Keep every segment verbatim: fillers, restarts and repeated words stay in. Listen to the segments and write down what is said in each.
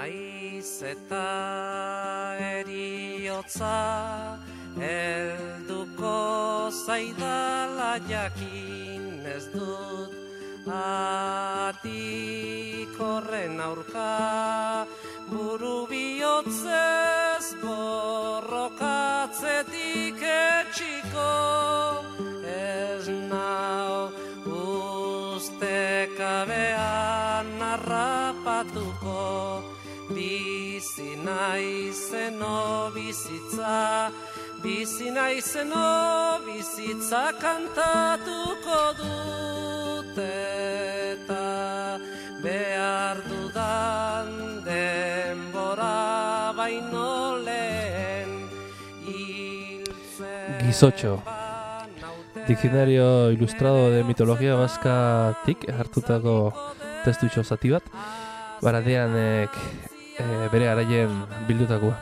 Naiz eta eriotza helduko zaidala jakin ez dut atik horren aurka buru bihotzez borrokatzetik etxiko ez nau ustekabean harrapatuko bizi naizeno bizitza bizi naizeno bizitza kantatuko dut eta behar dudan denbora baino lehen hiltzen. Guizotxo. Diccionario Ilustrado de Mitología Vascatik hartutako testutxo zati bat, Baradeanek e, bere garaien bildutakoa.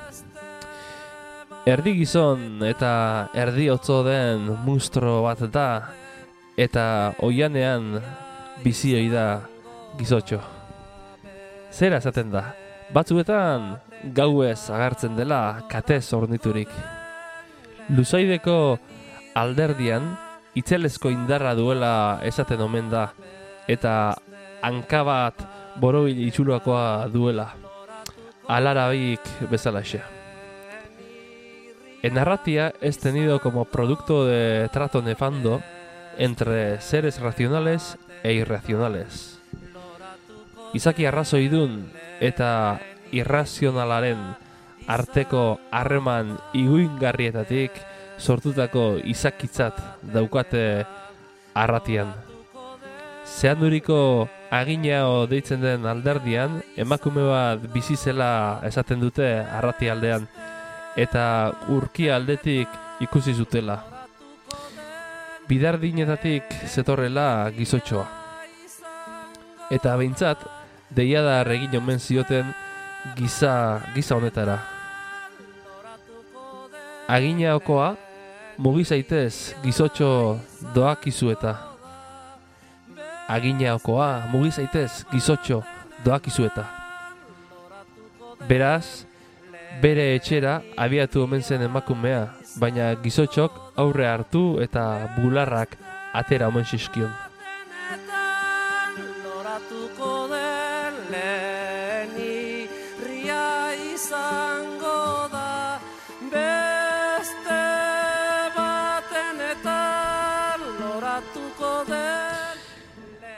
Erdi gizon eta erdi otzo den monstro bat da, eta oianean bizi ohi da gizotxo. Zera esaten da, batzuetan gauez agertzen dela katez orniturik. Luzaideko alderdian itzelezko indarra duela esaten omen da, eta hanka bat borobil itxuloakoa duela, alarabik bezalaxe. En Arratia es tenido como producto de trato nefando entre seres racionales e irracionales. Izaki arrazoidun eta irrazionalaren arteko harreman iguingarrietatik sortutako izakitzat daukate Arratian. Zehanduriko aginao deitzen den alderdian, emakume bat bizi zela esaten dute Arrati aldean, eta urki aldetik ikusi zutela. Bidardinetatik zetorrela gizotxoa. Eta behintzat, deiadar egin omen zioten giza, giza honetara. Aginaokoa, mugi zaitez gizotxo doakizu eta. Aginaokoa, mugi zaitez gizotxo doakizu eta. Beraz, bere etxera abiatu omen zen emakumea, baina gizotxok aurre hartu eta bularrak atera omen zizkion.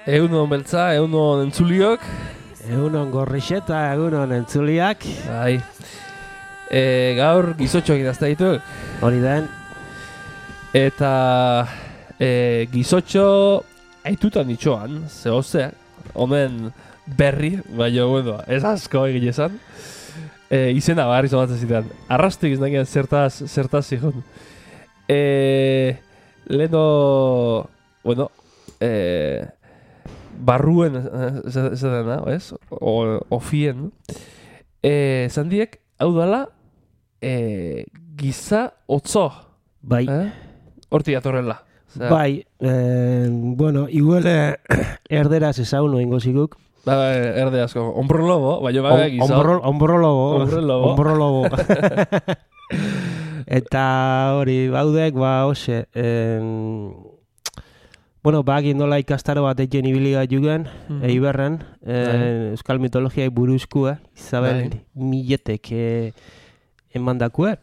Egunon beltza, egunon entzuliok. Egunon gorrixeta, egunon entzuliak. Bai. E, gaur gizotxoak idazta dituk. Hori den. Eta e, gizotxo aitutan itxoan, zehozea, omen berri, baina, bueno, ez asko egin esan. E, izena barri zomatzen zitan. Arrastik iznakian zertaz, zertaz zigun. E, Leno, bueno, e, barruen esaten da, ez? O, ofien. E, zandiek, hau dala, e, giza otzo. Bai. Eh? Horti atorrela. Osea, bai, eh, bueno, igual erderaz ezagun oingo ziguk. Ba, ba, erde asko. Hombro lobo, baina ba, giza. Hombro, hombro lobo. Hombro lobo. Hombro lobo. Eta hori, baudek, ba, hoxe, en... bueno, ba, nola ikastaro bat egin ibili bat jugen, mm -hmm. Eiberren, eh, euskal mitologiai buruzkua, Isabel Miletek eh, emandakue.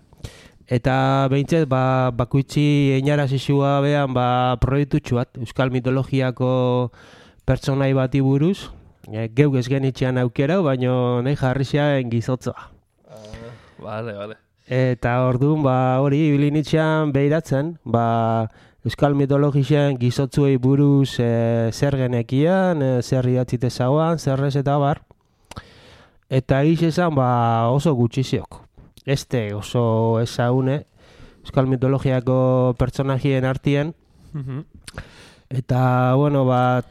Eta behintzet, ba, bakuitzi einarazizua behan, ba, proiektutxu bat, euskal mitologiako pertsonai bati buruz, e, geuk ez genitxean aukerau, baina nahi jarri zean gizotzoa. Uh, vale, vale. Eta orduan, ba, hori, ibilinitxean behiratzen, ba, euskal mitologixen gizotzuei buruz e, zer genekian, e, zer idatzite zauan, zer ez eta bar. Eta egiz esan, ba, oso gutxiziok. Este oso ezagune, euskal mitologiako pertsonajien artien. Mm-hmm. Eta, bueno, ba,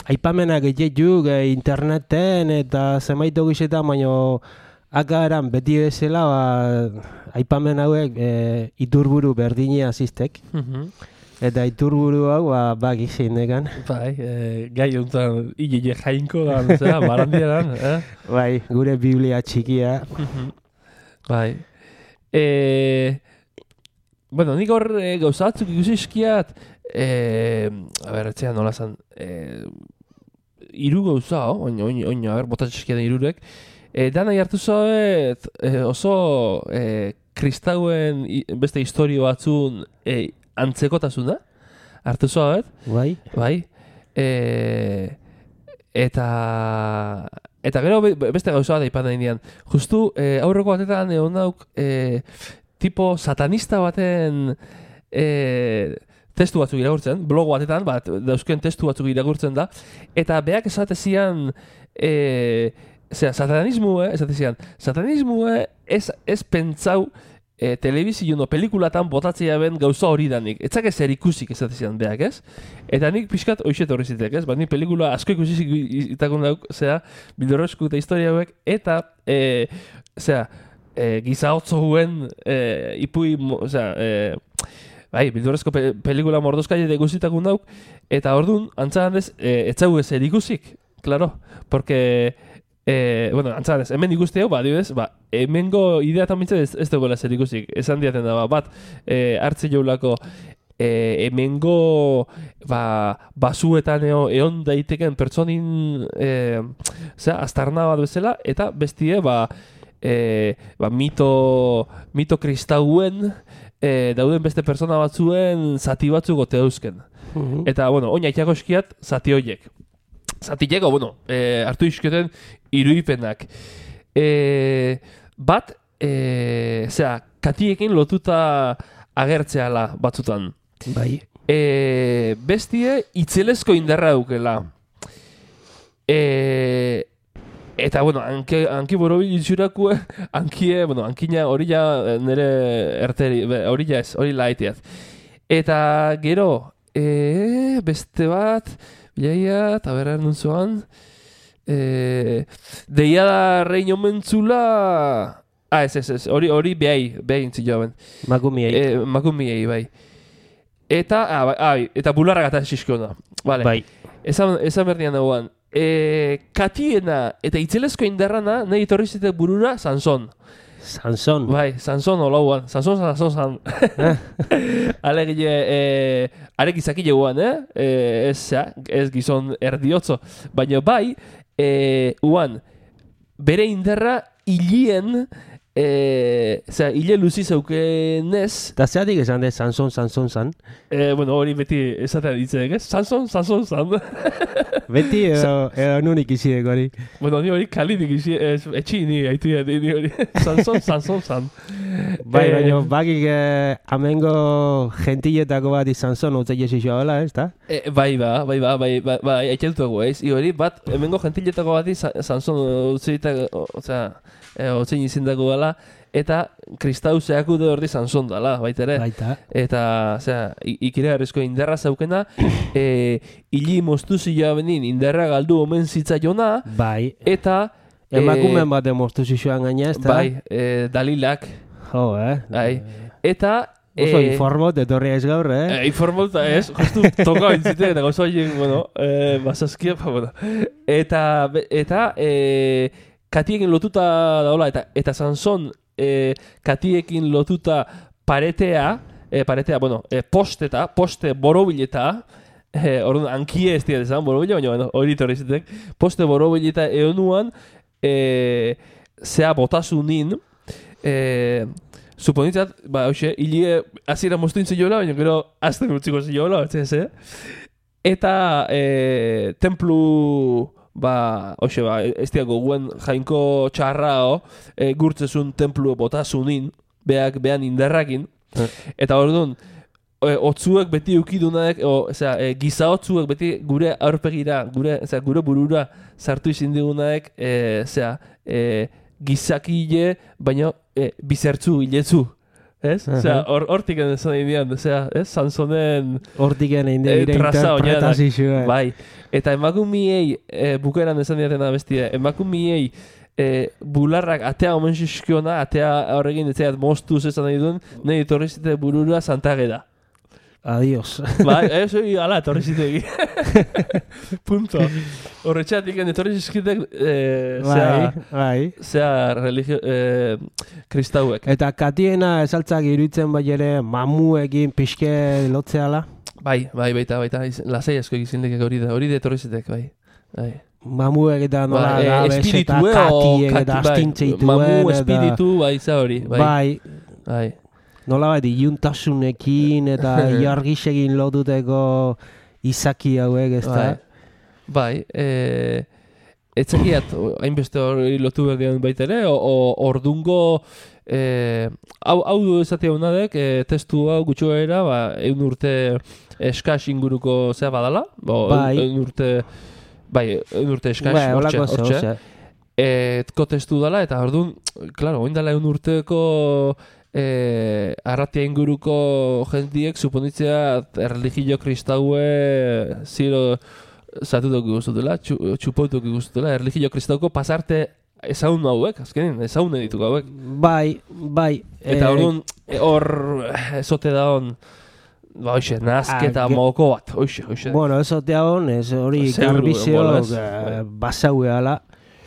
aipamenak egitxuk e, interneten eta zemaito gizetan, baina akaran beti bezala, ba, aipamen hauek e, iturburu berdinea ziztek. Mm-hmm. Eta iturburu hau, ba, bak izin dekan. Bai, e, gai honetan, hile jainko da, zera, barandieran, eh? Bai, gure biblia txikia. Bai. E, bueno, nik hor e, gauzatzuk ikusi eskiat, e, a ber, etxean nola zan, e, iru gauza, oin, oin, oin, a ber, botatxe eskiaten irurek, e, dana hartu zoet, e, oso e, kristauen i, beste historio batzun e, antzekotasuna, hartu zoet, Bai. bai, e, eta eta gero beste gauza bat aipatzen dian. Justu e, aurreko batetan egon dauk e, tipo satanista baten e, testu batzuk irakurtzen, blog batetan, bat, dauzken testu batzuk irakurtzen da, eta beak esatezian e, zera, satanismue, esatezian, satanismue ez, ez pentsau e, telebizio no pelikulatan botatzea ben gauza hori danik. Etzak ez erikusik esatezian beak, ez? Eta nik pixkat hoxet horri zitek, ez? Ba, nik pelikula asko ikusik itakon dauk, zera, bildorrezko eta historia hauek, eta, e, zera, e, gizaotzo guen e, ipui, zera, e, bai, bildurrezko pe pelikula mordozkaile de guzitakun dauk, eta orduan, antzagan ez, e, etzagu ez erikusik, claro, porque, e, bueno, antzagan ez, hemen ikuste hau, ba, dibez, ba, hemengo idea tamintzen ez, ez dagoela ez erikusik, esan diaten da, ba, bat, e, hartze jaulako, e, hemengo, ba, basuetan eo, eon daiteken pertsonin, e, zera, aztarna bat bezala, eta bestie, ba, e, ba, mito, mito kristauen, E, dauden beste persona batzuen zati batzuk gote dauzken. Uh-huh. Eta, bueno, oina itxako eskiat zati horiek. Zati jego, bueno, e, hartu izketen irudipenak. E, bat, e, zera, katiekin lotuta agertzeala batzutan. Bai. E, bestie, itzelezko indarra dukela. E, Eta, bueno, anki, anki borobil itxurakue, ankie, bueno, ankina hori ja nire erteri, hori ja ez, hori laiteaz. Eta gero, e, beste bat, bilaia, eta berra ernun zoan, e, deia da reino mentzula, ah, ez, ez, ez, hori, hori behai, behai intzi joan. Makumiei. E, makumiei, bai. Eta, ah, bai, ah, eta bularra gata xiskiona. Vale. Bai. Esan, esan berdian dagoan. E, katiena eta itzelezko indarrana nahi etorri zite burura Sanson. Sanson. Bai, Sanson olauan. Sanson, Sanson, Sanson. Alegile, e, arek izakile guan, eh? E, ez, ja, ez gizon erdiotzo. Baina bai, e, uan, bere indarra hilien, e, zera, hile luzi zeukenez. Eta zeratik esan de Sanson, Sanson, San? E, bueno, hori beti esatea ditzek, ez? Sanson, Sanson, San. Beti edo, edo nunik izidek hori. Bueno, ni hori kalinik izi, etxi ni haitu ya, ni hori. Sanson, Sanson, San. Bai, eh, baina bakik eh, amengo gentiletako bat Sanson utze jesixoa hola, ez da? E, bai, ba, bai, ba, bai, bai, bai, eitxeltuago, ez? I hori, bat, hemengo gentiletako bat Sanson utze ditak, osea, utze izindako gala, eta kristau zehaku da ordi Sanson dala, baitere. Baita. Eta, osea, ikire garrizko indarra zaukena, e, hili moztu zila benin indarra galdu omen zitzaiona, bai. eta... Emakumen bat emoztu zixoan gaina, ez da? Bai, e, dalilak. Jo, eh? Bai. Eta... Oso e, informot etorria ez gaur, eh? E, informot, ez, justu toka bintzite, eta gauza horiek, bueno, e, basazkia, pa, bueno. Eta, eta, e, katiekin lotuta daola, eta, eta Sanson, e, katiekin lotuta paretea, e, paretea, bueno, e, posteta, poste borobileta, e, orduan, ankie ez dira dezan borobile, baina, bueno, hori torri zitek, poste borobileta eonuan, e, zea botasunin, e, suponitzat, ba, hoxe, hilie azira moztu intzen jola, baina gero azten utziko ziola, ez eh? Eta e, templu, ba, hoxe, ba, ez diago guen jainko txarrao, e, gurtzezun templu botasunin, beak, behan indarrakin, eta orduan, e, otzuek beti eukidunak, o, eza, e, giza otzuek beti gure aurpegira, gure, eza, gure burura sartu izin digunak, e, eza, e, gizakile, baina e, bizertzu, hiletzu, ez? Uh-huh. Osea, hortik or, esan indian, osea, ez? Sansonen... Hortik egin dire interpretazioa. Bai, eta emakumiei, e, bukeran esan diatena bestia, emakumiei e, bularrak atea omen xixkiona, atea horregin etzeat moztuz esan nahi duen, nahi etorri zite burura santageda. adiós. Bai, ez, ala, etorri zitegi. Punto. Horretxatik, etorri zizkitek, eh, Bai, bai. zea religio, eh, kristauek. Eta katiena esaltzak iruditzen bai ere mamuekin pixke lotzeala. Bai, bai, baita, baita, iz- lasai asko egizindekek hori da, hori da etorri zitek, bai. Bai. Mamuek eta nola Ba, eh, gabez eta espiritue o katiek kati- eta bai, astintzeituen. mamu eta- espiritu, bai, za hori, bai. Bai, Bai. nola bai, iuntasunekin eta iargisegin lotuteko izaki hauek, ez da? Bai, bai eh, etzekiat, hainbeste hori lotu behar dian baita ere, o, o ordungo, eh, hau, hau du esatia honadek, eh, testu hau gutxuera, ba, eun urte eskas inguruko zea badala, bo, Bai. eun urte, bai, eun urte eskas, Bai, hortxe, holako hortxe. zehose. Etko testu dela, eta orduan, klaro, oin dela eun urteko eh, arratia inguruko jentiek suponitzea erligio kristaue ziro zatutok guztutela, txu, txupautok guztutela, erligio kristauko pasarte ezagun hauek, azkenin, ezagun edituk hauek. Bai, bai. Eta eh, orduan, eh, hor ezote da hon, ba, hoxe, nazketa Ah, ge- moko bat, hoxe, hoxe. Bueno, eso te hon, ez hori Seguru, garbizio bueno, ez. eh, basaue ala.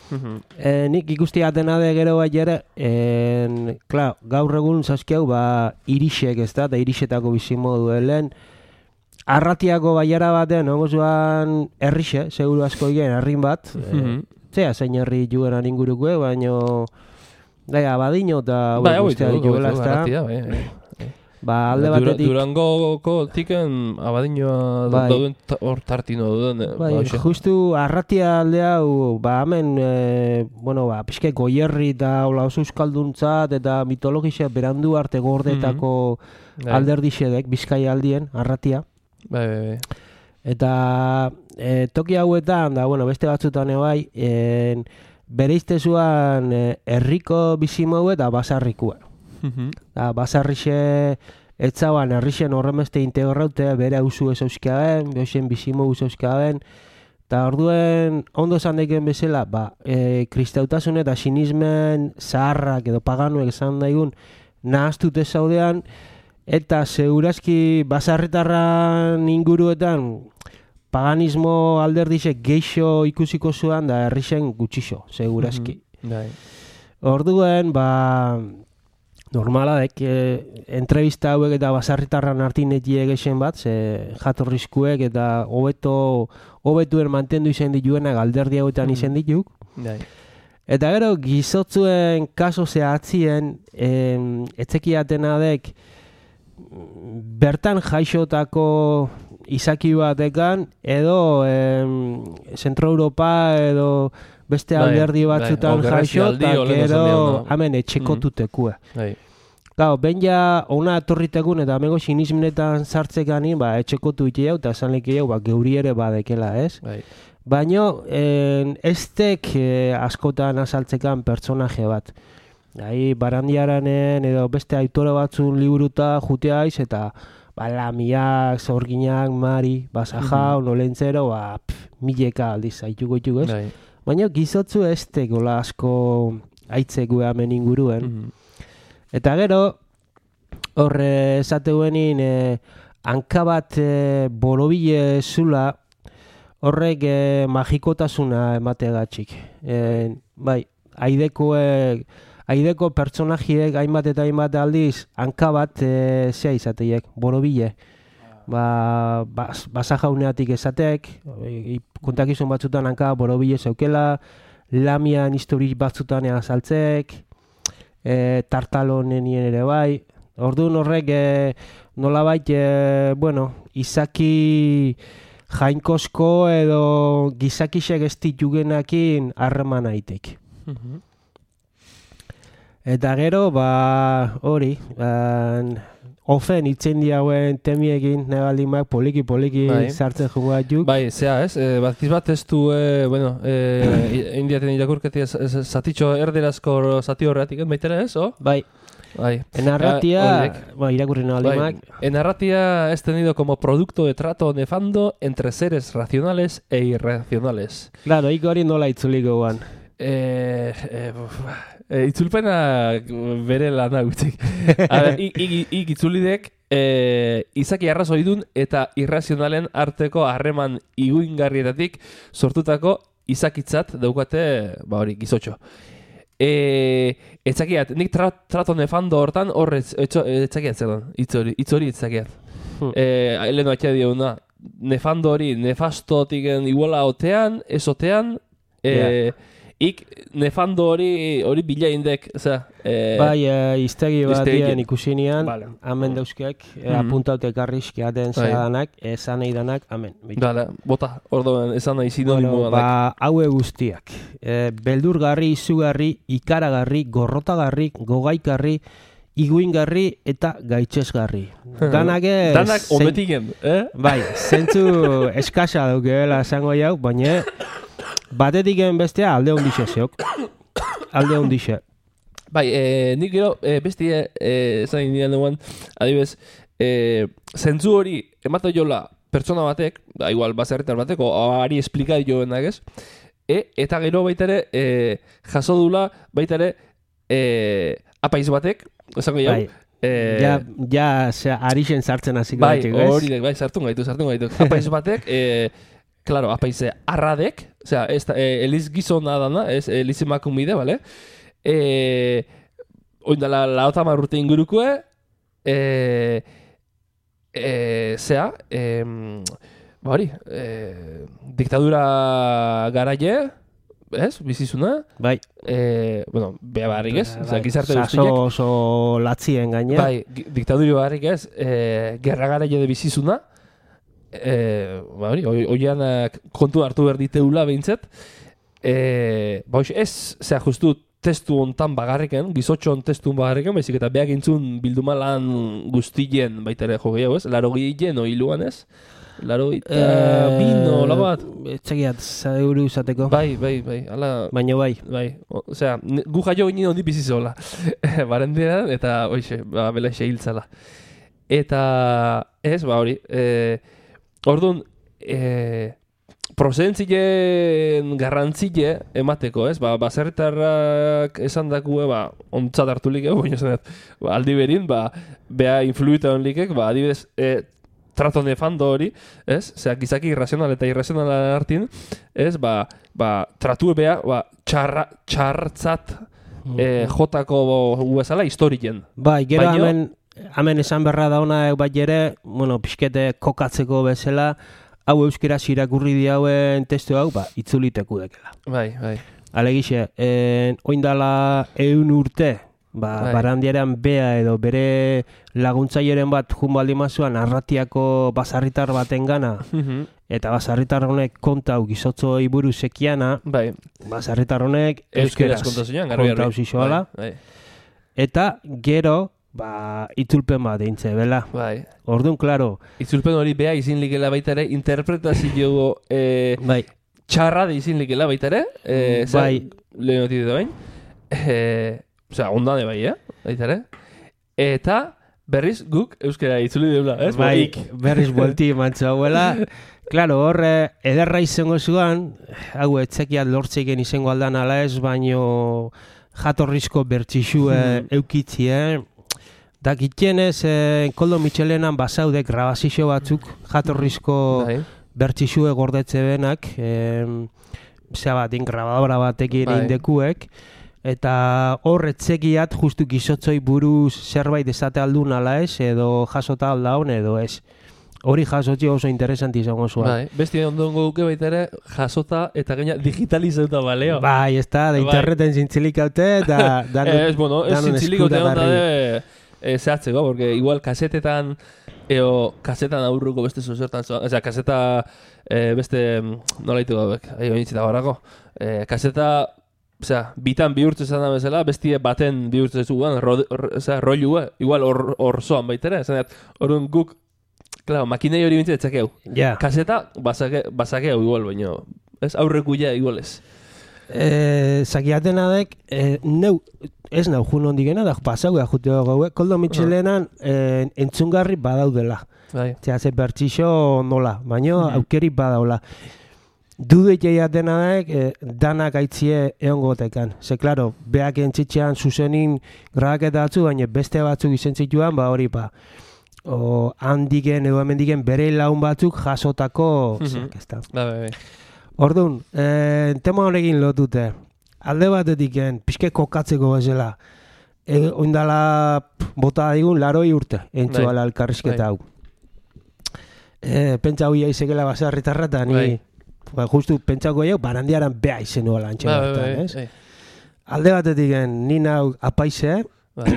Mhm. E, nik ikusti atena de gero bai ere, en, klar, gaur egun zaskiau, ba, irisek ez da, eta irisetako bizimodu lehen, arratiako baiara batean, ongo zuan herrixe, seguru asko igen, herrin bat, Mhm. e, zea zein herri jugenan ingurukue, baino, gaia, abadino eta Bai, hau guztia ditu, ditugela, hau ez ditu, da, garratia, bai, bai. ba, alde Dura- batetik, Durangoko tiken abadinoa Bai. dauden ta- hor tartino duden. eh, bai, ba, hoxe. justu arratia alde hau, ba, hemen, e, bueno, ba, pixke goierri eta hola oso euskalduntzat eta mitologia berandu arte gordetako Bai. alderdixedek, Bizkaia aldien, arratia. Bai, bai, bai. Eta e, toki hauetan, da, bueno, beste batzutan bai, en, bereizte zuan e, herriko bizimau eta basarrikua. Mhm. Da, basarrixe etzaban herrixen horremeste integraute, bere auzu ez euskaben, behen bizimau ez euskaben, eta orduen ondo esan daiken bezala, ba, e, kristautasun eta sinismen zaharrak edo paganuek esan daigun nahaztute zaudean, eta segurazki basarritarran inguruetan paganismo alderdixek geixo ikusiko zuan da herrixen gutxixo, segurazki. Bai. Orduen, ba, normala dek, e, entrevista hauek eta basarritarran artinetie egesen bat, ze jatorrizkuek eta hobeto hobetuen mantendu izen dituenak alderdi hauetan izen dituk. Bai. Eta gero, gizotzuen kaso zehatzien, em, etzekiatena dek, bertan jaixotako izaki batekan, edo em, Zentro Europa edo beste Bai, alderdi bai, batzutan hau jaixo, gerrazialdi, eta olen esan gero dion, no? hemen etxekotutekue. Bai. Gau, ben ja ona etorritekun eta amengo sinismenetan sartzekani, ba, etxekotu ite jau, eta esan leki jau, ba, geuri ere badekela, ez? Bai. Baino, en, estek eh, askotan azaltzekan pertsonaje bat. Ahi, barandiaranen edo beste aitore batzun liburuta juteaiz, eta ba, lamiak, zorginak, mari, basajau, nolentzero, ba, pff, mileka aldiz, aituko ituko, ez? Bai. Baina gizotzu estek gola asko aitzeko hemen inguruen. Mhm. Eta gero, horre esateuenin e, hanka bat e, borobile zula, horrek e, magikotasuna emategatxik. E, bai, aidekoek, aideko pertsonajiek hainbat eta hainbat aldiz hanka bat e, zea izateiek, borobile. Ba, bas, basajauneatik esatek, e, kontakizun batzutan hanka borobile zeukela, lamian historik batzutan azaltzek, e, tartalonenien ere bai. Orduan horrek e, nolabait, e, bueno, izaki jainkosko edo gizakisek ez ditugenakin harreman aitek. Mhm. Eta gero, ba, hori, ban, ofen itzen diauen temiekin nebalimak poliki-poliki Bai. sartzen joa juk. Bai, zea, ez? E, Batiz bat ez du, e, bueno, e, indiaten irakurketi ez- ez- zatitxo erderazko zati horretik, baitera ez, o? Bai, Bai. enarratia, Ah, horiek. ba, irakurri nabalimak, En narratia es tenido como producto de trato nefando entre seres racionales e irracionales. claro, ik hori nola itzuliko guan. Eh, eh, uf, eh, itzulpena bere lana gutxik. A ber, ik, ik, ik itzulidek e, izaki arrazoidun eta irrazionalen arteko harreman iguingarrietatik sortutako izakitzat daukate, ba hori, gizotxo. E, etzakiat, nik tra, trato nefando hortan horretz, etzakiat zer dan, hitz hori, hitz hori etzakiat. Hmm. E, Eleno atxea diona, nefando hori, nefastotik iguala otean, esotean, e, yeah. Ik nefando hori hori bila indek, osea, eh bai, eh, iztegi batean ikusinean, vale. Amen dauzkeak, eh, Mm-hmm. apuntaute karrizki aten zadanak, esan nahi danak, amen. Dale, bota, orduan, esan nahi sinonimo bueno, ba, haue guztiak. Eh, beldurgarri, izugarri, ikaragarri, gorrotagarri, gogaikarri, iguingarri eta gaitxesgarri. Danak ez... Danak ometiken, eh? Bai, zentzu eskasa daukela esango jau, baina batetik bestea alde hondixe zeok. Alde hondixe. Bai, eh, nik gero eh, bestie eh, esan indian duan, adibez, eh, zentzu hori ematen jola pertsona batek, da igual baserritar batek, o ari esplika joenak ez, e, eta gero baitare eh, jaso dula baitare eh, apaiz batek, esango jau, bai. Eh, ja, ja, zera, arixen sartzen hasiko bai, gaitu, ez? hori, bai, sartun gaitu, sartun gaitu. Apaiz batek, eh, claro, apaize arradek, osea, ez da, eh, eliz gizona dana, ez, eliz emakumide, bale? Eh, oindala, laota marrute ingurukue, eh, eh, zea, eh, ba hori, eh, diktadura garaie, ez, bizizuna, bai. eh, bueno, beha barrik ez, bai. osea, gizarte Saso guztiak, oso latzien gaine. bai, diktaduri barrik ez, eh, gerra garaie de bizizuna, Eh, ba hori, oianak kontu hartu behar diteula behintzet. Eh, ba hoxe, ez, zera justu testu hontan bagarriken, gizotxon testu bagarriken, baizik eta beak intzun bildumalan guztien baitere jo gehiago ez, laro gehien oiluan ez, laro eta Eh, bino, lago bat. Etxegiat, zauru izateko. Bai, bai, bai, ala... Baina bai. Bai, osea, gu jaio ginen hondi bizizola. Barendean, eta hoxe, ba, bela xe hiltzala. Eta, ez, ba hori, eh, orduan, e, prozentzien garrantzile emateko, ez? Ba, baserritarrak esan dakue, ba, ontzat hartu like, baina esan dut, ba, aldi berin, ba, beha influita hon likek, ba, adibidez, e, trato nefando hori, ez? Zea, gizaki irrazional eta irrazional hartin, ez? Ba, ba, tratue beha, ba, txarra, txartzat e, jotako uezala historien. Bai, gero Baino, hemen... Hemen esan berra da ona bai ere, bueno, pixkete kokatzeko bezala, hau euskaraz irakurri diauen testu hau, ba, itzuliteku dekela. Bai, bai. Alegixe, en, oindala eun urte, ba, Bai. barandiarean bea edo bere laguntzailearen bat junbaldi mazuan arratiako basarritar baten gana, eta basarritar honek konta hau gizotzoi buru sekiana, Bai. basarritar honek Euskeraz euskeraz konta zinean, garbi konta hau garbi. zizoala, Bai, eta gero, ba, itzulpen bat eintze, bela. bai. Orduan, klaro, Itzulpen hori beha izin likela baita ere, interpretazio e, bai, txarra de izin likela baita ere, e, Bai. lehenotite da bain, e, osea, ondane bai, eh? Baita ere. Eta berriz guk euskara itzuli deula, ez? bai, Ik. berriz buelti mantza hauela. Klaro, horre, ederra izango zuan, hau etzekiat lortzeiken izango aldan ala ez, baino jatorrizko bertxixue eukitzie. Dakitzenez, eh, Koldo Mitxelenan basaude grabazio batzuk jatorrizko Bai. bertxixue gordetze benak, eh, zea bat, grabadora batekin Bai. indekuek, eta hor etzekiat justu gizotzoi buruz zerbait esate aldun ala ez, edo jasota aldaun edo ez. Hori jasotzi oso interesanti izango zuen. Bai. Besti ondongo duke baita ere, jasota eta gaina digitalizatuta baleo. Bai, ez da, da Bai. interneten zintzilik haute, eta danon, Ez, bueno, ez danon zintzilik ote onda eskuragarri. de e, zehatzeko, porque igual kasetetan, eo, kasetan aurruko beste zuzertan zoan, osea, kaseta e, beste, nola ditu gauek, ahi benitzita horako, e, kaseta, osea, bitan bihurtu esan da bezala, bestie baten bihurtu zuan, ro, ro, osea, rollua, igual hor, hor zoan baitera, esan dut, orduan guk, claro, makinei hori bintzat etzakeu. Ja. Kaseta, basake, basakeu igual, baina, ez, aurrekuia igual ez. Eh, zakiatena dek, eh, neu, ez nau jun hondigena, da pasau jute gaue, Koldo Mitxelenan eh, entzungarri badaudela. Bai. Zea, ze bertxixo nola, baino Mhm. aukeri badaula. Dude jaiatena dek, eh, danak aitzie eongotekan. Ze, klaro, beak entzitxean zuzenin grabaketa batzu, baina beste batzuk izen zituan, ba hori pa. o handiken edo hemendiken bere laun batzuk jasotako Mhm. ez da. Bai, bai, bai. Orduan, eh, tema honekin lotute. Alde batetiken, pixke kokatzeko bezala. E, oindala pff, bota digun laroi urte, entzu Bai. ala elkarrizketa Bai. hau. E, pentsa hoia izekela basarritarra eta ni, Bai. ba, justu pentsako jau, barandiaran beha izenuela antxe Bai, bai, bertan, bai, ez? bai. Alde batetiken, ni nau apaize, Bai.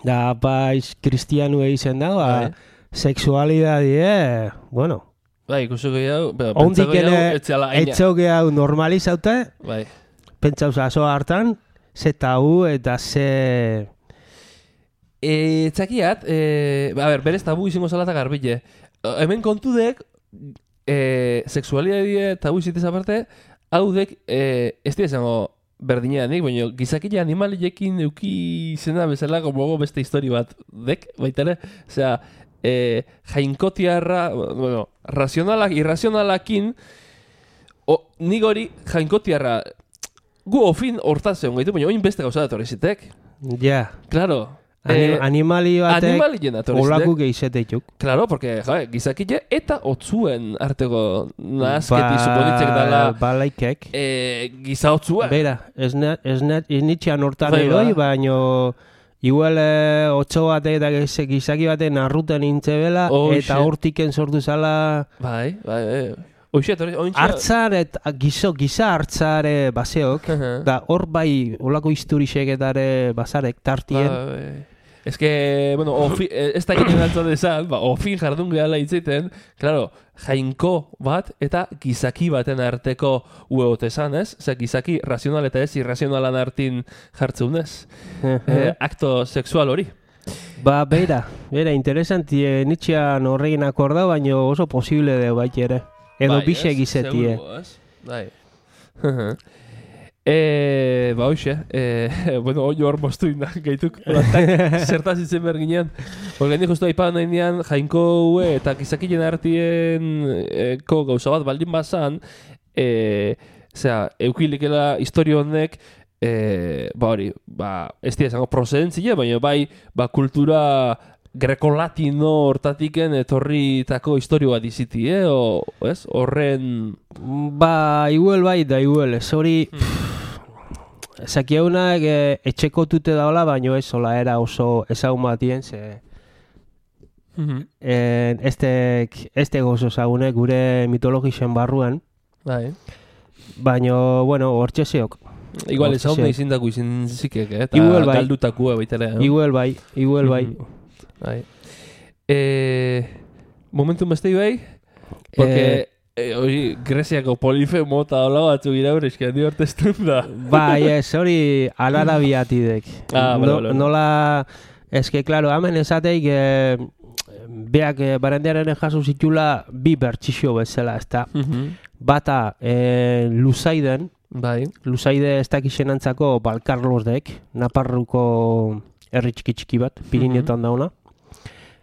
da apaiz kristianu izen da, ba, Bai. sexualidadie, bueno, Bai, ikusiko jau, pero ondik pentsako jau, ere etziala aina. etxoke hau normalizaute, Bai. pentsa oso hartan, ze tabu eta ze... E, txakiat, e, a ber, berez tabu izango zala eta garbile. Hemen kontudek, e, sexualidadie tabu izitez aparte, haudek, e, ez dira izango berdineanik, baina gizakile animaliekin euki izena bezala, como beste histori bat dek, baita ere, osea, e, jainkotiarra, bueno, razionalak, irrazionalakin, o, nik hori jainkotiarra, gu ofin hortaz egon gaitu, baina oin beste gauza datorri zitek. Ja, Claro. Anim, Eh, animali batek Animalien datorri olaku zitek. gehizetetuk. Claro, porque, ja, gizakile eta otzuen arteko nahazketi Ba- suponitzek dala Balaikek. e, giza otzua. Bera, ez ne- ez ne- ez nitxean hortan Bai, eroi, ba. baino igual eh, otso batek eta giz- gizaki baten arruten intzebela, Oh, eta shit. hortiken sortu zala Bai, bai, bai. Oixe, etorri, ointxe... hartzar eta gizo, giza hartzare baseok, Aha. da hor bai olako historiseketare basarek tartien. Bai, bai. Ez que, bueno, ofi, eh, ez da ginen altzan esan, ba, ofin jardun gehala hitzeiten, claro, jainko bat eta gizaki baten arteko ueot esan, ez? Osea, gizaki razional eta ez irrazionalan artin jartzeunez. eh, akto sexual hori. Ba, beira, beira, interesantie nitxean horregin akorda, baino oso posible de bait ere. Edo Bai, bixe ez? gizetie. Seguru, ez? Bai. E, ba, hoxe, e, bueno, hoi hor moztu inda, gaituk, olatak, zertaz izen berginean. Horgen di justu aipan nahi nian, jainko hue eta gizakilen artien e, ko gauza bat baldin bazan, e, zera, eukilikela historio honek, e, ba hori, ba, ez dira esango procedentzia, baina bai, ba, kultura grekolatino hortatiken etorritako historio bat iziti, eh? O, ez? Horren... Ba, igual bai, da igual, ez hori... Zakiaunak e, etxeko tute daola, baino ez sola era oso ezagun batien, ze... En, estek, este gozo zagune gure mitologisen barruan, Bai. baino, bueno, hortxe zeok. Igual Hortxe ez hau zeok. izin dako izin zikek, eh? Eta Igual bai. galdutakua baitele, eh? Igual bai, igual bai. Bai. E, momentum bestei bai? Porque... Eh, E, hori, Greziako polifemo eta hola batzu gira hori, eski handi horteztun da. Bai, ez, hori alarabiatidek. Ah, no, vale, vale. Nola, eske, klaro, hemen esateik, eh, beak eh, barandiaren jaso zitula bi bertxixo bezala, ez da. Bata, eh, Luzaiden, Bai. Luzaide ez dakizenantzako Balkarlosdek, Naparruko herri txiki txiki bat, Pirineotan dauna.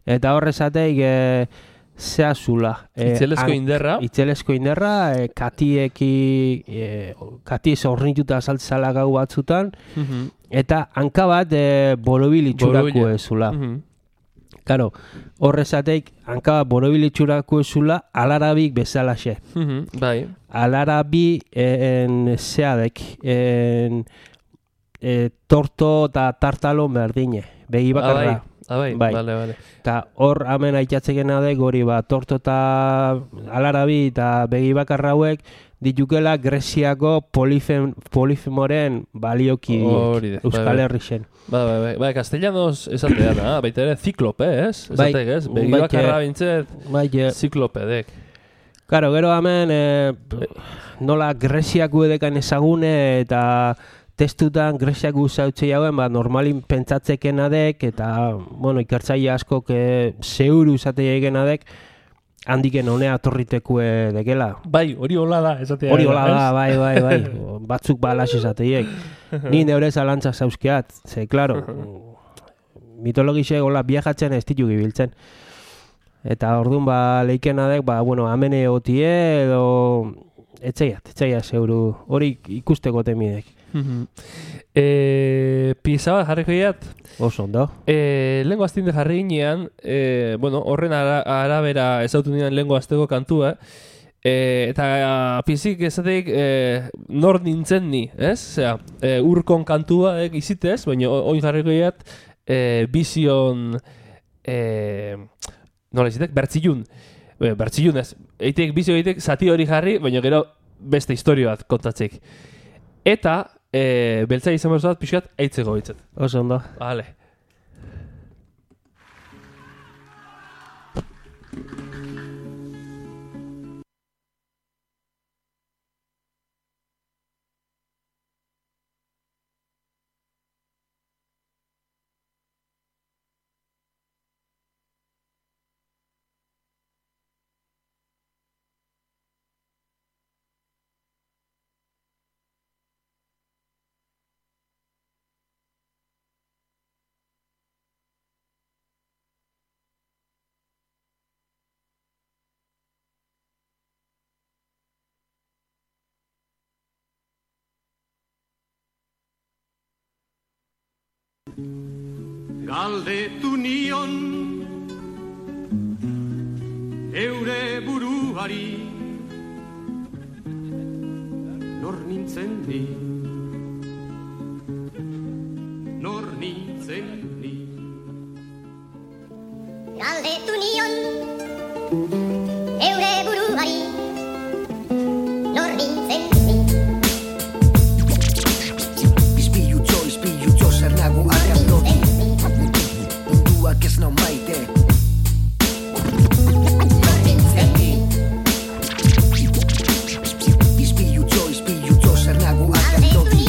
Eta horrezateik, eh, zehazula. Eh, Itzelesko han- inderra. Itzelesko inderra, eh, katieki, eh, katiez ornituta saltzala gau batzutan, Mhm. eta hanka bat eh, borobil itxurako Borobila. ezula. Mhm. Karo, horrezateik hanka bat borobil itxurako ezula alarabik bezalaxe. Mhm. Bai. Alarabi en zeadek, en eh, torto eta tartalo berdine, begi bakarra. Ah, bai. Bai. Vale, vale. Eta hor hemen aitzatzekena dek hori ba, torto eta alarabi eta begi bakarra hauek ditukela Greziako polifem, polifemoren balioki Hori de, bai, Euskal bai. Herrixen. Bai, bai, bai. Bai, castellanos esatea da, baita ere ziklope, ez? Bai, Esatek, ez? Begi bai, bakarra eh, bintzet, Bai, eh, ziklopedek. Karo, gero hemen eh, nola Greziako edekan ezagune eta testutan Greziako uzautzei hauen, ba, normalin pentsatzeken eta, bueno, ikertzaile askok eh, zeuru uzatei egin adek, handiken honea torritekue dekela. Bai, hori hola da, esatea. Hori hola da, bai, bai, bai. Batzuk balas esateiek. Ni neure zalantza zauzkiat, ze, klaro, mitologisek hola viajatzen ez ditu gibiltzen. Eta orduan, ba, leikena dek, ba, bueno, amene otie edo... Etxeiat, etxeiat zeuru, hori ikusteko temidek. e, Pieza bat jarriko iat. Oso ondo. E, lengo aztinde jarri ginean, e, bueno, horren ara, arabera ezautu nian lengo azteko kantua, e, eta pizik ezatik e, nor nintzen ni, ez? Osea, e, urkon kantua e, izitez, baina oin jarriko iat e, bizion, e, nola izitek, bertzilun. E, bertzilun ez, eitek bizio eitek zati hori jarri, baina gero beste historio bat kontatzik. Eta, e, beltza izan behar bat pixkat eitzeko hitzet. Oso ondo. Vale. Galdetu nion eure buruari nor nintzen ni, nor nintzen ni. Galdetu nion eure buruari nor nintzen ni. Izpilutxo, izpilutxo zer nago arrean lodi munduak ez nau maite nor nintzen ni. Izpilutxo, izpilutxo zer nago arrean lodi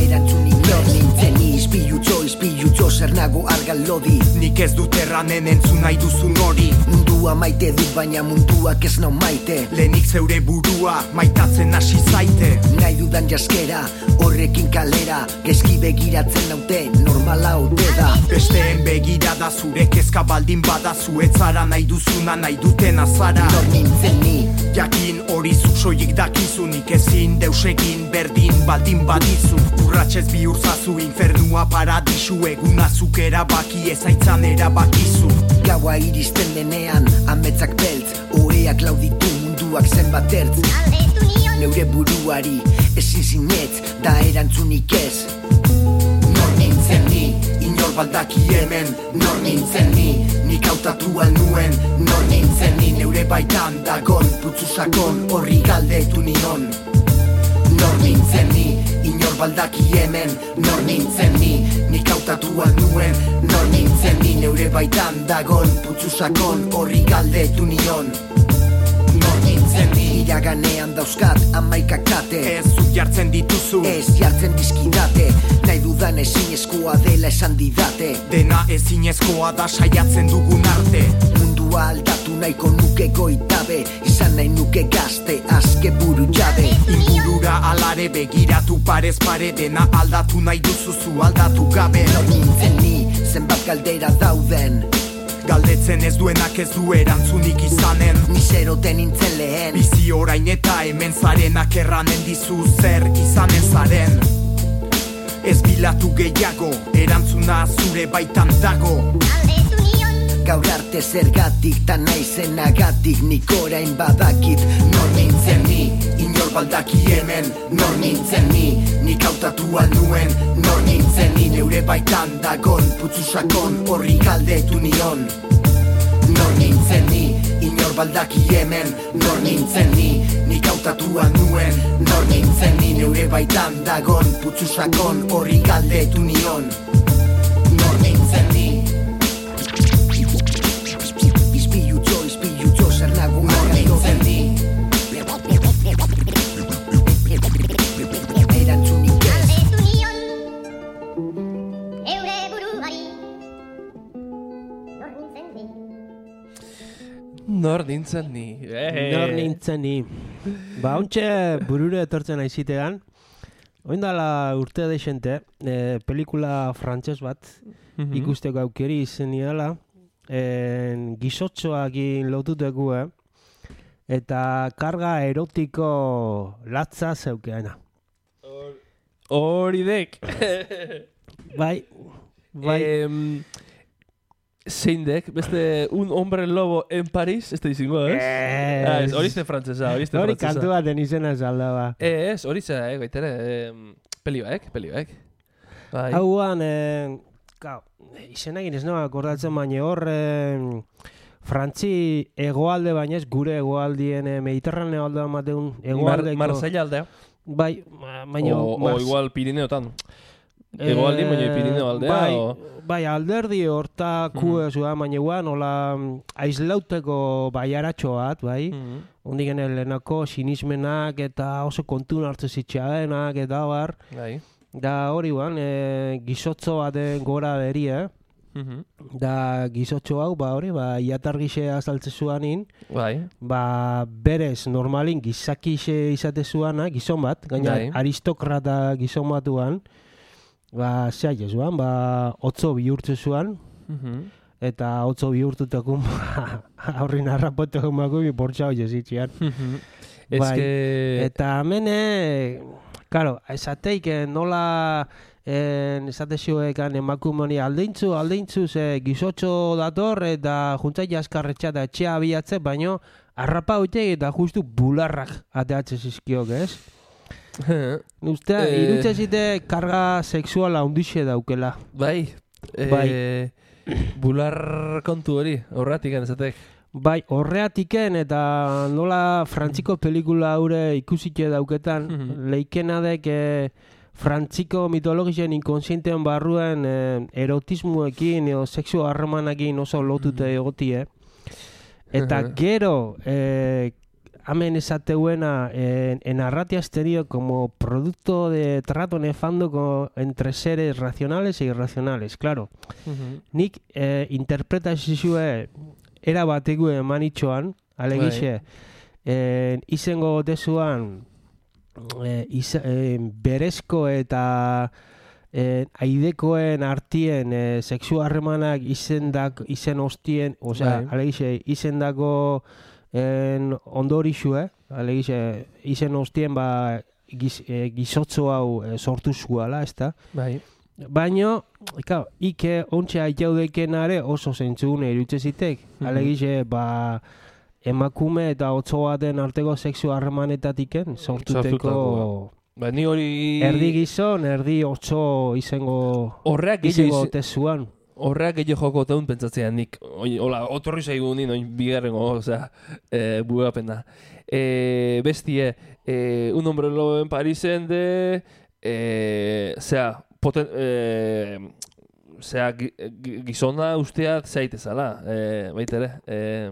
erantzunik nor nintzen ni. Izpilutxo, izpilutxo zer nago argan lodi. Nik ez dut erranen entzun nahi duzun hori. Mundua maite dut baina munduak ez nau maite. Lehenik zeure burua maitatzen hasi zaite. Nahi dudan jaskera, horrekin kalera, gezki begiratzen naute, normala ote da. Besteen begirada zure kezka baldin badazu, ez zara nahi duzuna nahi duten azara. Nor nintzen ni. Jakin hori zuk soilik dakizu, nik ezin deus egin berdin baldin badizu. Urratxez bihurzazu infernua paradisu, eguna zuk erabaki ezaitzan erabakizu. Gaua iristen denean, ametzak beltz, oheak lauditu munduak zenbat ertz. Galdetu nion Neure buruari, ezin zinetz, da erantzunik ez. Nor nintzen ni, inor baldaki hemen, nor nintzen ni. Nik hautatu alnuen, nor nintzen ni. Neure baitan dagon, putzu sakon, horri galdetu nion. Nor nintzen ni, inor baldaki hemen, nor nintzen ni. Nik hautatu alnuen, nor nintzen ni. Neure baitan dagon, putzu sakon, horri galdetu nion. Nor nintzen ni. Iraganean dauzkat amaikak kate. Ez zuk jartzen dituzu, Ez jartzen dizkidate, nahi dudan ezinezkoa dela esan didate. dena ezinezkoa da saiatzen dugun arte. Mundua aldatu nahiko nuke goitabe, izan nahi nuke gazte, azke buru jabe. Ingurura alare begiratu parez pare, dena aldatu nahi duzuzu aldatu gabe. Nor nintzen ni, zenbat galdera dauden, Galdetzen ez duenak ez du erantzunik izanen. ni zeroten nintzen lehen. Bizi orain eta hemen zarenak erranen dizu zer izanen zaren. Ez bilatu gehiago, erantzuna zure baitan dago. Galdetu nion Gaur arte zergatik, ta naizenagatik, nik orain badakit. Nor nintzen ni, inor baldaki hemen, nor nintzen ni. Nik hautatu alnuen, nor nintzen ni. Neure baitan dagon, putzu sakon, horri galdetu nion. Nor nintzen ni, inor baldaki hemen, nor nintzen ni. Nik hautatu alnuen, nor nintzen ni. Neure baitan dagon, putzu sakon, horri galdetu nion. Nor nintzen ni. Izpilutxo, izpilutxo zer nago nor nintzen ni. Erantzunik ez. Galdetu nion eure buruari nor nintzen ni. Nor nintzen ni. Eh. Nor nintzen ni. Ba, ontxe burure etortzen aizitean. Oindala urte deixente, eh, pelikula frantses bat, Mhm. ikusteko aukeri izeniala, en, gizotxoakin lotuteku, eh? eta karga erotiko latza zeukeana. Hori dek. Bai, bai. Em, zein dek, beste un hombre lobo en Paris, ez da izango, ez? Ez. Ah, ez, hori izte frantzesa, hori izte Hori frantzesa. kantu baten izena zaldaba. Ez, hori za, eh, baitere, eh, pelioek, pelioek. Bai. Hauan, eh, gau, izenakin ez nagoa akordatzen, baina hor, eh, Frantzi egoalde baina ez gure egoaldien eh, Mediterraneo aldean mateun Mar, egoaldeko. Marseilla aldea. Bai, ma- baina... O, o Mars- igual Pirineotan. Egoaldi, baina Pirineo aldea. Bai, o... bai alderdi hortaku Mhm. ez da, baina guan, hola mm, aislauteko baiaratxo bat, bai. Mhm. Ondik gene lehenako sinismenak eta oso kontun hartze zitxaenak eta bar. Bai. Da hori guan, e, gizotzo baten gora beri, eh? Mhm. Da gizotxo hau, ba hori, ba iatargixe azaltze zuanin, Bai. ba berez normalin gizakixe izate zuana, gizon bat, gaina Bai. aristokrata gizon batuan, ba zea jesuan, ba otzo bihurtze zuan, Mhm. eta otzo bihurtutakun, ba, aurrin harrapotekun bako mi portxao jesitxian. Mhm. Ez Bai. que... Eta amene, claro, esateik eh, nola en, esate zioekan emakumoni aldeintzu, aldeintzu ze gizotxo dator eta juntzai jaskarretxa eta etxea abiatze, baino harrapa hoitek eta justu bularrak ateatze zizkiok, ez? Ustea, Eh. irutze zite karga sexuala hundixe daukela. Bai. Eh, Bai. Bular kontu hori, horratik esatek. Bai, horreatiken eta nola frantziko pelikula haure ikusike dauketan, Mhm. leikena dek eh, frantziko mitologisen inkonsientean barruen eh, erotismoekin edo sexu harremanekin oso lotute egotie. Eta Mhm. gero, eh, hemen esateuena, en, en Arratia has tenido como producto de trato nefando co- entre seres racionales e irracionales, claro. Mhm. Nik eh, interpretazioa era bategu eman itxoan, alegixe, eh, izengo gotezuan eh, iza, eh, berezko eta eh, aidekoen artien eh, sexu harremanak izendak, izen ostien, osea, Bai. alegixe, izendako en ondorixue, alegixe, izen ostien ba giz, eh, gizotzo hau eh, sortu zuala, ezta? Bai. Baino, claro, ike ontxe aitaudekenare oso zentzune irutze zitek. Mhm. Alegixe, ba, emakume eta otzo baten arteko sexu harremanetatiken sortuteko Sortutako. Ba, ni hori... erdi gizon, erdi otzo izango Horreak izango gehiago tezuan. Horreak gehiago joko taun pentsatzean nik. Oin, hola, otorri zaigu nien, oin bigarrengo, osea, e, bugapen da. E, bestie, e, un hombre lobo en Parisen de... E, zea, poten... E, zea, gi- gi- gizona usteat zaitezala, e, baitere. E,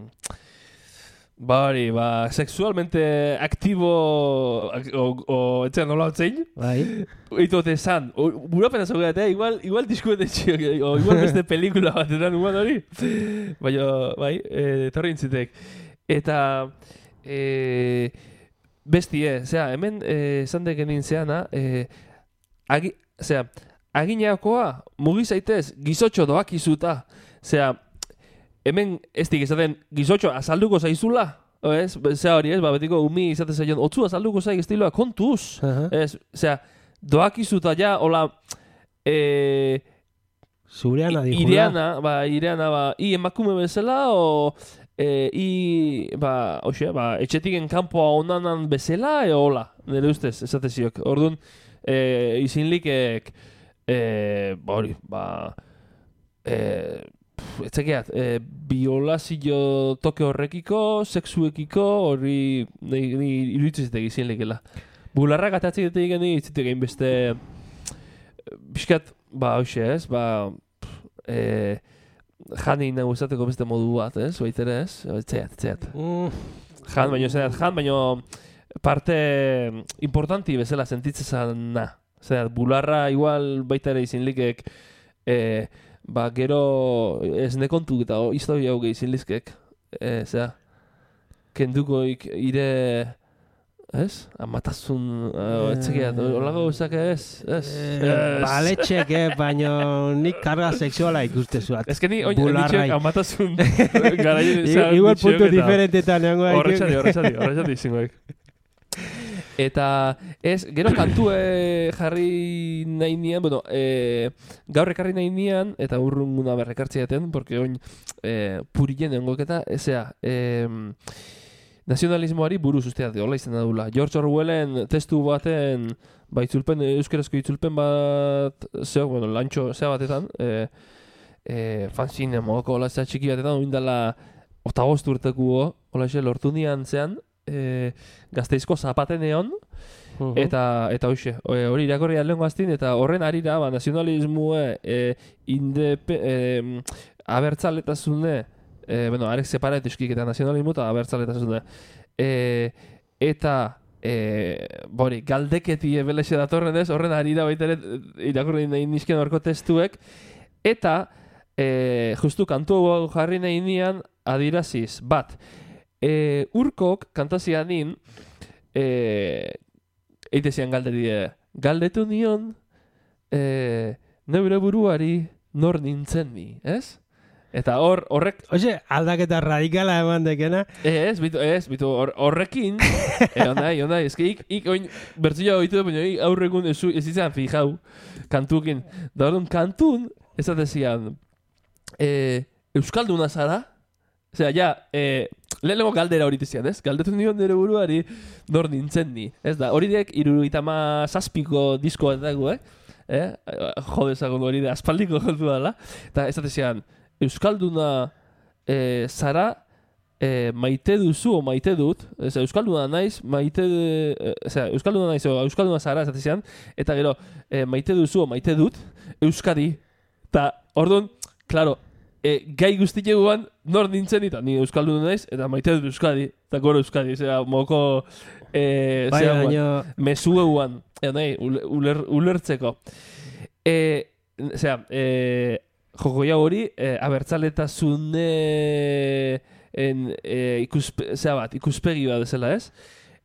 ba hori, ba, sexualmente aktibo ak- o, o etxean nola otzein, Bai. Eitote esan, burapena zaugatea, igual, igual diskuete txiok, o igual beste pelikula batetan uman hori. Baina, bai, e, etorri intzitek. Eta, e, bestie, zera, hemen e, esan deken nintzeana, e, agi, zera, agineakoa mugi zaitez gizotxo doak izuta. Zera, hemen ez dik esaten gizotxo azalduko zaizula, o ez? Zera hori ez, ba, betiko umi izate zaion, otzu azalduko zaik estiloa kontuz. Aha. Ez, zera, doak izuta ja, hola, e, Zurean i- adijula. ireana, ba, ireana, ba, i emakume bezala, o, e, i, ba, hoxe, ba, etxetiken kanpoa onanan bezala, e, hola, nire ustez, esate ziok. Orduan, e, izinlikek, e, ba, hori, ba, e, pf, etzekeat, e, biolazio toke horrekiko, sexuekiko, hori, nahi, nahi iruditzen zitek izinlikela. Bularrak atatzen dut egin itzitek egin beste, biskat, ba, hoxe ez, ba, pff, e, jani nago esateko beste modu bat, ez, baitere ez, etxeat, etxeat. Mm, Jan, baino, zerat, jan, baino, parte importanti bezala sentitzen na. Zerat, bularra igual baita ere izinlikek, e, ba, gero ez nekontu eta o, historia hau gehi izinlizkek, e, zera, kendukoik ire ez? Amatasun, uh, etzekiat, olago gauzak ez, ez. Baletxek, eh, baina nik karga sexuala ikuste zuat. Ez que ni, oin, nitxek amatasun garaien izan. Igual puntu diferentetan nengoa. Horrexati, horrexati, horrexati zingoek. Eta ez, gero kantue jarri nahi nian, bueno, e, gaur ekarri nahi nian, eta urrunguna berrekartzi jaten, porque oin e, purien engoketa, ezea, e, nazionalismoari buruz usteat, hola izan da dula. George Orwellen testu baten, ba, itzulpen, euskerazko itzulpen bat, zeo, bueno, lantxo, zea batetan, e, e, fanzine, mogoko, hola zea txiki batetan, oindala, otagost urtekuo, hola xe, lortu nian zean, E, Gazteizko zapateneon uh-huh. eta eta hoxe hori irakorri aldengo aztin eta horren arira ba, nazionalismue e, indepe, e, abertzaletasune e, bueno, arek separat eskik eta nazionalismo eta abertzaletasune e, eta e, bori, galdeketi ebelexe datorren ez, horren arira baita ere irakorri nahi nizken horko testuek eta e, justu kantu jarri nahi nian adiraziz, bat E, urkok kantazianin e, eitezian galderi galdetu nion e, neure buruari nor nintzen ni, ez? Eta hor, horrek... Oye, aldaketa radikala eman dekena. Ez, bitu, ez, bitu, hor, horrekin e, ondai, ondai, ez que ik, ik oin bertzioa oitu da, baina aurregun ez, ez izan fijau kantukin. Da hori kantun, ez atezian e, Euskalduna zara? Osea, ja, eh, lehenengo galdera hori tizian, ez? Galdetu nion nire buruari nor nintzen ni. Ez da, hori dek iruruitama zazpiko diskoa dago, eh? eh? Jodezagon hori de aspaldiko jontu dala. Eta ez atezian, Euskalduna eh, zara eh, maite duzu o maite dut. Ez, Euskalduna naiz, maite... Eh, Osea, Euskalduna naiz o Euskalduna zara ez atezian. Eta gero, eh, maite duzu o maite dut Euskadi. Eta, orduan, klaro, E, gai guztieguan nor nintzen eta ni Euskaldun naiz eta maite dut Euskadi eta goro Euskadi, zera moko e, bai, zera baino... mesueuan e, nahi, uler, ulertzeko e, zera e, jokoia hori e, abertzaletasune en, e, ikuspe, zera bat, ikuspegi bat ezela ez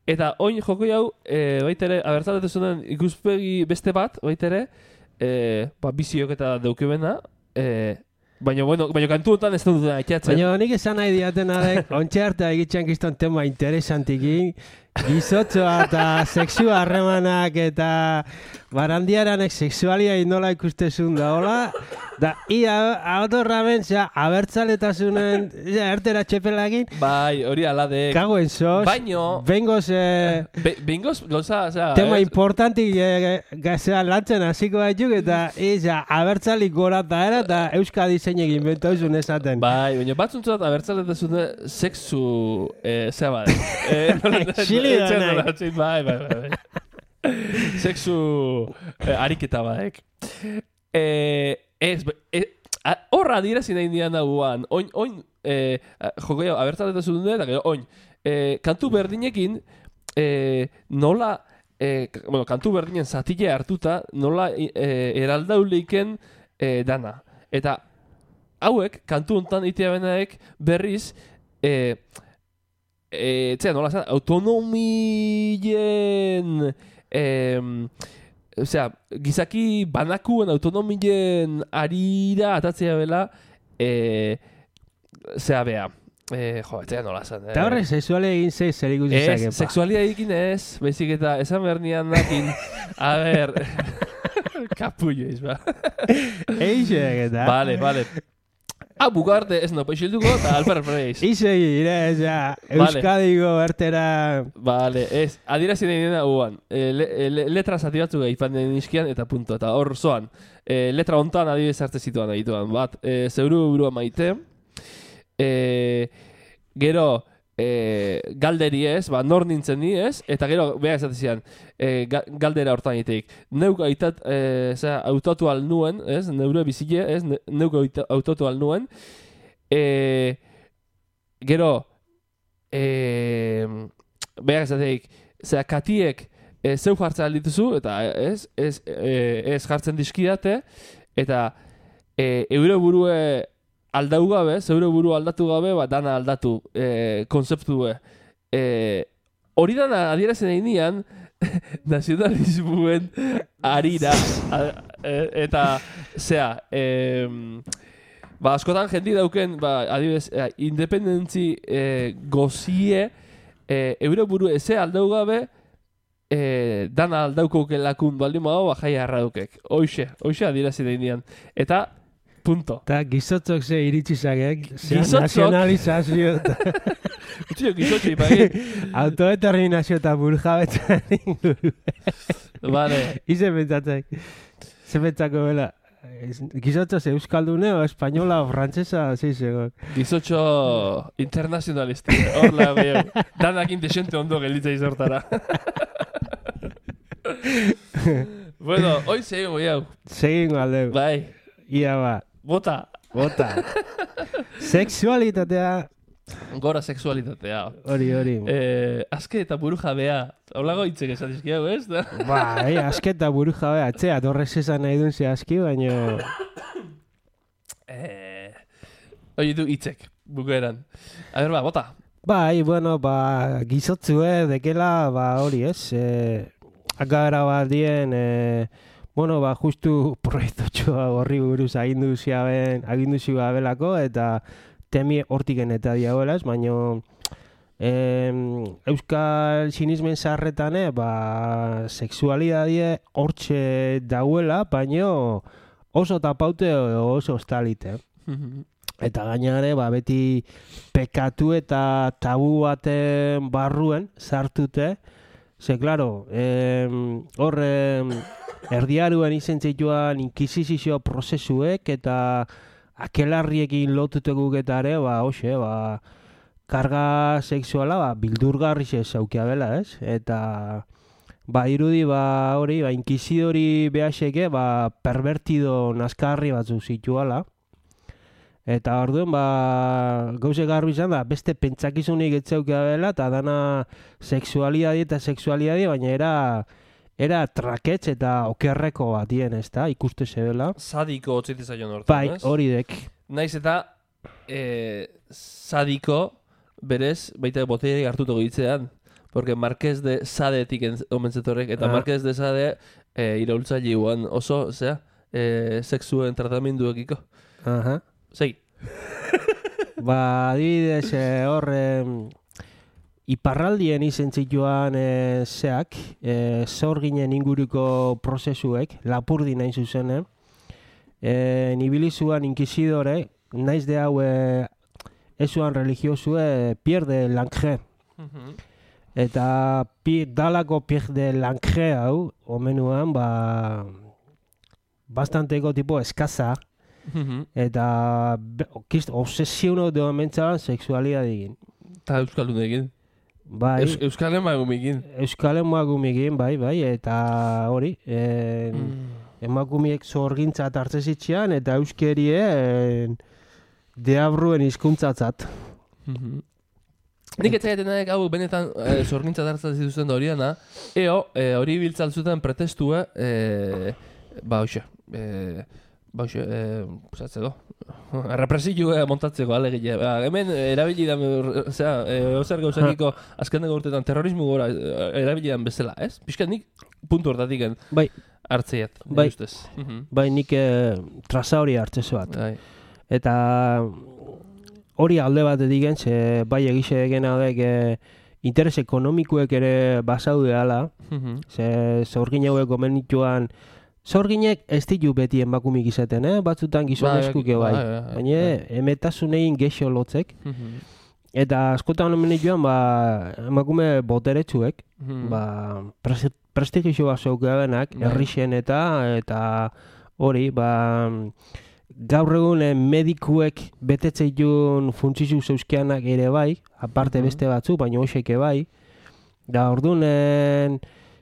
eta oin jokoia hau e, baitere abertzaletasunen ikuspegi beste bat baitere e, ba, biziok eta deukebena e, Baina, bueno, baina kantu honetan ez dut aitzatzen. Baina nik esan nahi diaten arek, ontxe arte egitxan kiston tema interesantikin, gizotzoa eta sexua harremanak eta barandiaranek sexualia nola ikustezun da, hola? Da, ia, autorra ben, zera, abertzaletasunen, zera, ertera txepelagin. Bai, hori aladek. Kagoen sos. Baino. Bengoz, eh... Be, bengoz, goza, zera... Tema es... importantik, eh, zera, lantzen hasiko baituk, eta, iza, abertzalik gora eta era, eta Euskadi zeinek inventoizun esaten. Bai, baina batzuntzat abertzaletasune sexu, eh, zera bat. Eh, Xili da nahi. Bai, bai, bai. Sexu eh, ariketa baek. Eh... Ez, horra dirazi nahi nian nagoan, oin, oin, eh, jokoia, abertzaletasune dut, eta gero, oin, eh, kantu berdinekin, eh, nola, eh, bueno, kantu berdinen zatile hartuta, nola eh, eraldauleiken eh, dana. Eta hauek, kantu hontan itea benaek berriz, eh, eh, txea, nola zan, autonomien, eh, osea, gizaki banakuen autonomien arira atatzea bela, eh, zea bea. Eh, jo, etzea nola zan. Eta horrek sexualia egin zei zer ikusi zakepa. Ez, sexualia egin ez, baizik eta esan behar nian nakin. A ber, kapullo ez, ba. Eixek eta. Vale, vale. Ah, bugarte ez no peixilduko eta alperpreiz. Izegi, ire, ja, Euskadiko bertera... Vale, ez, adirazi nahi dena uan. E, le, le, letra zati batzuk egin nizkian eta punto. Eta hor zoan, e, letra hontan adibidez arte zituan egituan. Bat, e, zeuru burua maite. E, gero, e, galderi ez, ba, nor nintzen ni ez. Eta gero, beha esatezian, e, ga, galdera hortan egiteik. Neuk aitat, e, zera, autotu al nuen, ez, neure bizile, ez, ne, neuk autotu al nuen. E, gero, e, beha esateik, zera, katiek, e, zeu jartzen aldituzu, eta ez, ez, e, ez jartzen dizkidate, eta e, eure burue aldau gabe, zeure buru aldatu gabe, ba, dana aldatu e, konzeptue. E, hori dana adierazen egin nian, nazionalismuen harira. Eta, zea, eh, ba, askotan jendi dauken, ba, adibidez, eh, independentzi eh, gozie, eh, euro buru eze aldau gabe, eh, dana aldaukoke lakun baldin mago, ba, jai harradukek. Hoxe, hoxe adierazen egin nian. Eta, punto. Eta gizotzok ze iritsizagek, Gizotzok? nazionalizazio, Utio, gizotxo ipagin. autodeterminazio eta burjabetzan inguru. Vale. Ize pentsatzek. Ze pentsako bela. Gizotzo ze euskaldune o espainola o frantzesa, zeizego. Gizotxo internazionalisti. Horla, gehiago. Danak intexente ondo gelitza izortara. Bueno, hoi segingo, jau. Segingo aldeu. Bai. Ia ba. Bota. Bota. Sexualitatea. Gora sexualitatea. Hori, hori. Eh, azke eta buru jabea. Holago hitzek esan dizkiago, ez da? Ba, eh, asketa buru jabe, atzea, dorrez esan nahi duen ze aski, baino... Eh, Hoi du hitzek, bukaeran. A ber, ba, bota. Bai, bueno, ba, gizotzue, dekela, ba, hori ez, eh, akara bat dien, eh, bueno, ba, justu proiektotxoa horri buruz agindu ziaben, agindu ziabelako, eta temi hortiken eta diagoela ez, baino... Eh, euskal sinismen zaharretane, ba, sexualidadie hortxe dauela, baino oso tapaute oso ostalite. Eta gainare, ba, beti pekatu eta tabu baten barruen sartute. Ze, klaro, eh, hor eh, erdiaruen izen zituan inkisizio prozesuek eta akelarriekin lotutekuk eta ere, ba, hoxe, ba, karga sexuala, ba, bildurgarri zaukia bela, ez? Eta, ba, irudi, ba, hori, ba, inkizidori behaseke, ba, pervertido nazkarri batzu zituala. Eta orduen, ba, gauze garbi izan da, beste pentsakizunik etzaukia bela, eta dana sexualidadi eta sexualidadi, baina era, era traketz eta okerreko batien, ez da, ikuste zebela. Sadiko otzite zaion hortan, Bai, ez? hori dek. Naiz eta eh, sadiko berez baita boterik hartuko ditzean. Porque Marqués de Sadetik omentzetorek, eta Ah. Marqués de Sade eh, iraultzaile guan oso, zera, eh, sexuen tratamenduekiko. Aha. Segi. Ba, adibidez, eh, hor, eh, iparraldien izen zituan eh, zeak, eh, zorginen inguruko prozesuek, lapurdi nahi zuzenen, eh, nibilizuan inkizidore, naiz de hau eh, ezuan religiosue Pierre de Langre. Eta pi, dalako Pierre de Langre hau, omenuan, ba, bastanteko tipo eskaza, eta be- kist, obsesiono de mentzaban sexualidadegin. Eta Euskaldunekin. Bai, Eus, Euskal emagumekin. Euskal emakumeekin, bai, bai, eta hori, en, emakumeek zorgintzat hartze zitzean, eta euskerien deabruen hizkuntzatzat. Nik etzaiten nahi hau benetan eh, zorgintzat hartzen zituzten da hori dana, eo, eh, hori biltzaltzuten pretestua, eh, ba, hoxe, eh, ba, hoxe, eh, zatzeko, represio montatzeko alegia. Ba, hemen erabili da, zera, eh, ozer gauzakiko azkeneko urtetan terrorismo gora eh, erabili dan bezala, ez? Piskat nik puntu hortatik Bai, hartzeiat, Bai. nire ustez. Mhm. bai, nik eh, traza hori hartzezu bat. Bai. Eta hori alde batetik gen, ze bai egixe egena dek eh, interes ekonomikuek ere basaude ala, Mhm. ze zorgin hauek gomenituan, zorginek ez ditu beti emakumik izaten, eh? Batzutan gizonezkuke bai. bai, bai, Baina emetasunein gexo lotzek. Mhm. Eta askotan omenituan, ba, emakume boteretsuek, Mhm. ba, pres- prestigioa zeukabenak, Bai. herrixen eta, eta hori, ba, gaur egun eh, medikuek betetzeitun funtzizu zeuzkianak ere bai, aparte Mhm. beste batzu, baina hoxeke bai. Da orduan, eh,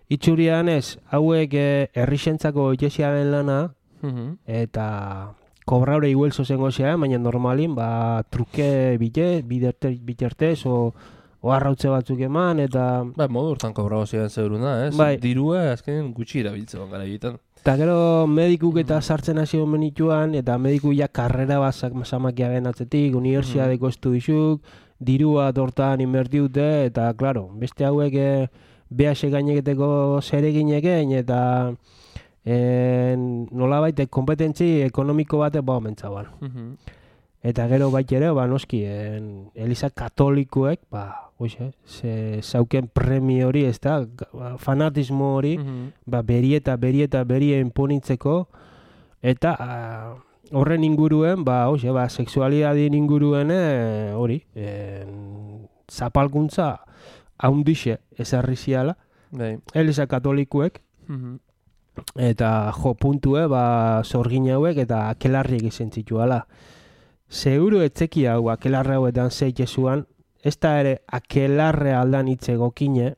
itxurian ez, hauek eh, herrixentzako itxesiaren lana, Mhm. eta kobraure iguelzo zengo zea, baina normalin, ba, truke bide, biderte, bitertez, o, o arrautze batzuk eman, eta... Ba, modu hortan kobrao ziren zeuruna, ez? Bai. Dirua azkenen gutxi erabiltzen gara egiten. Eta gero medikuk eta sartzen hasi omenituan, eta mediku ja karrera bat samakia ben atzetik, unibertsiadeko estudizuk, dirua tortan inbertiute, eta, klaro, beste hauek e, behase gaineketeko zereginekin, eta e, nolabait kompetentzi ekonomiko bate ba omentzaban. Mhm. Eta gero bait ere, ba, noski, en, Eliza katolikoek, ba, oixe, ze zauken premio hori, ez da, ba, fanatismo hori, Mhm. ba, beri eta beri eta beri enponitzeko, eta a, horren inguruen, ba, oixe, ba, sexualidadien inguruen e, hori, en, zapalkuntza haundixe ezarri ziala, Bai. Eliza katolikoek, Mhm. eta jo puntue, ba, zorgin hauek eta akelarriek izan zituala. Seguru etzeki hau akelarre hauetan zeitezuan, ez da ere akelarre aldan hitze gokine,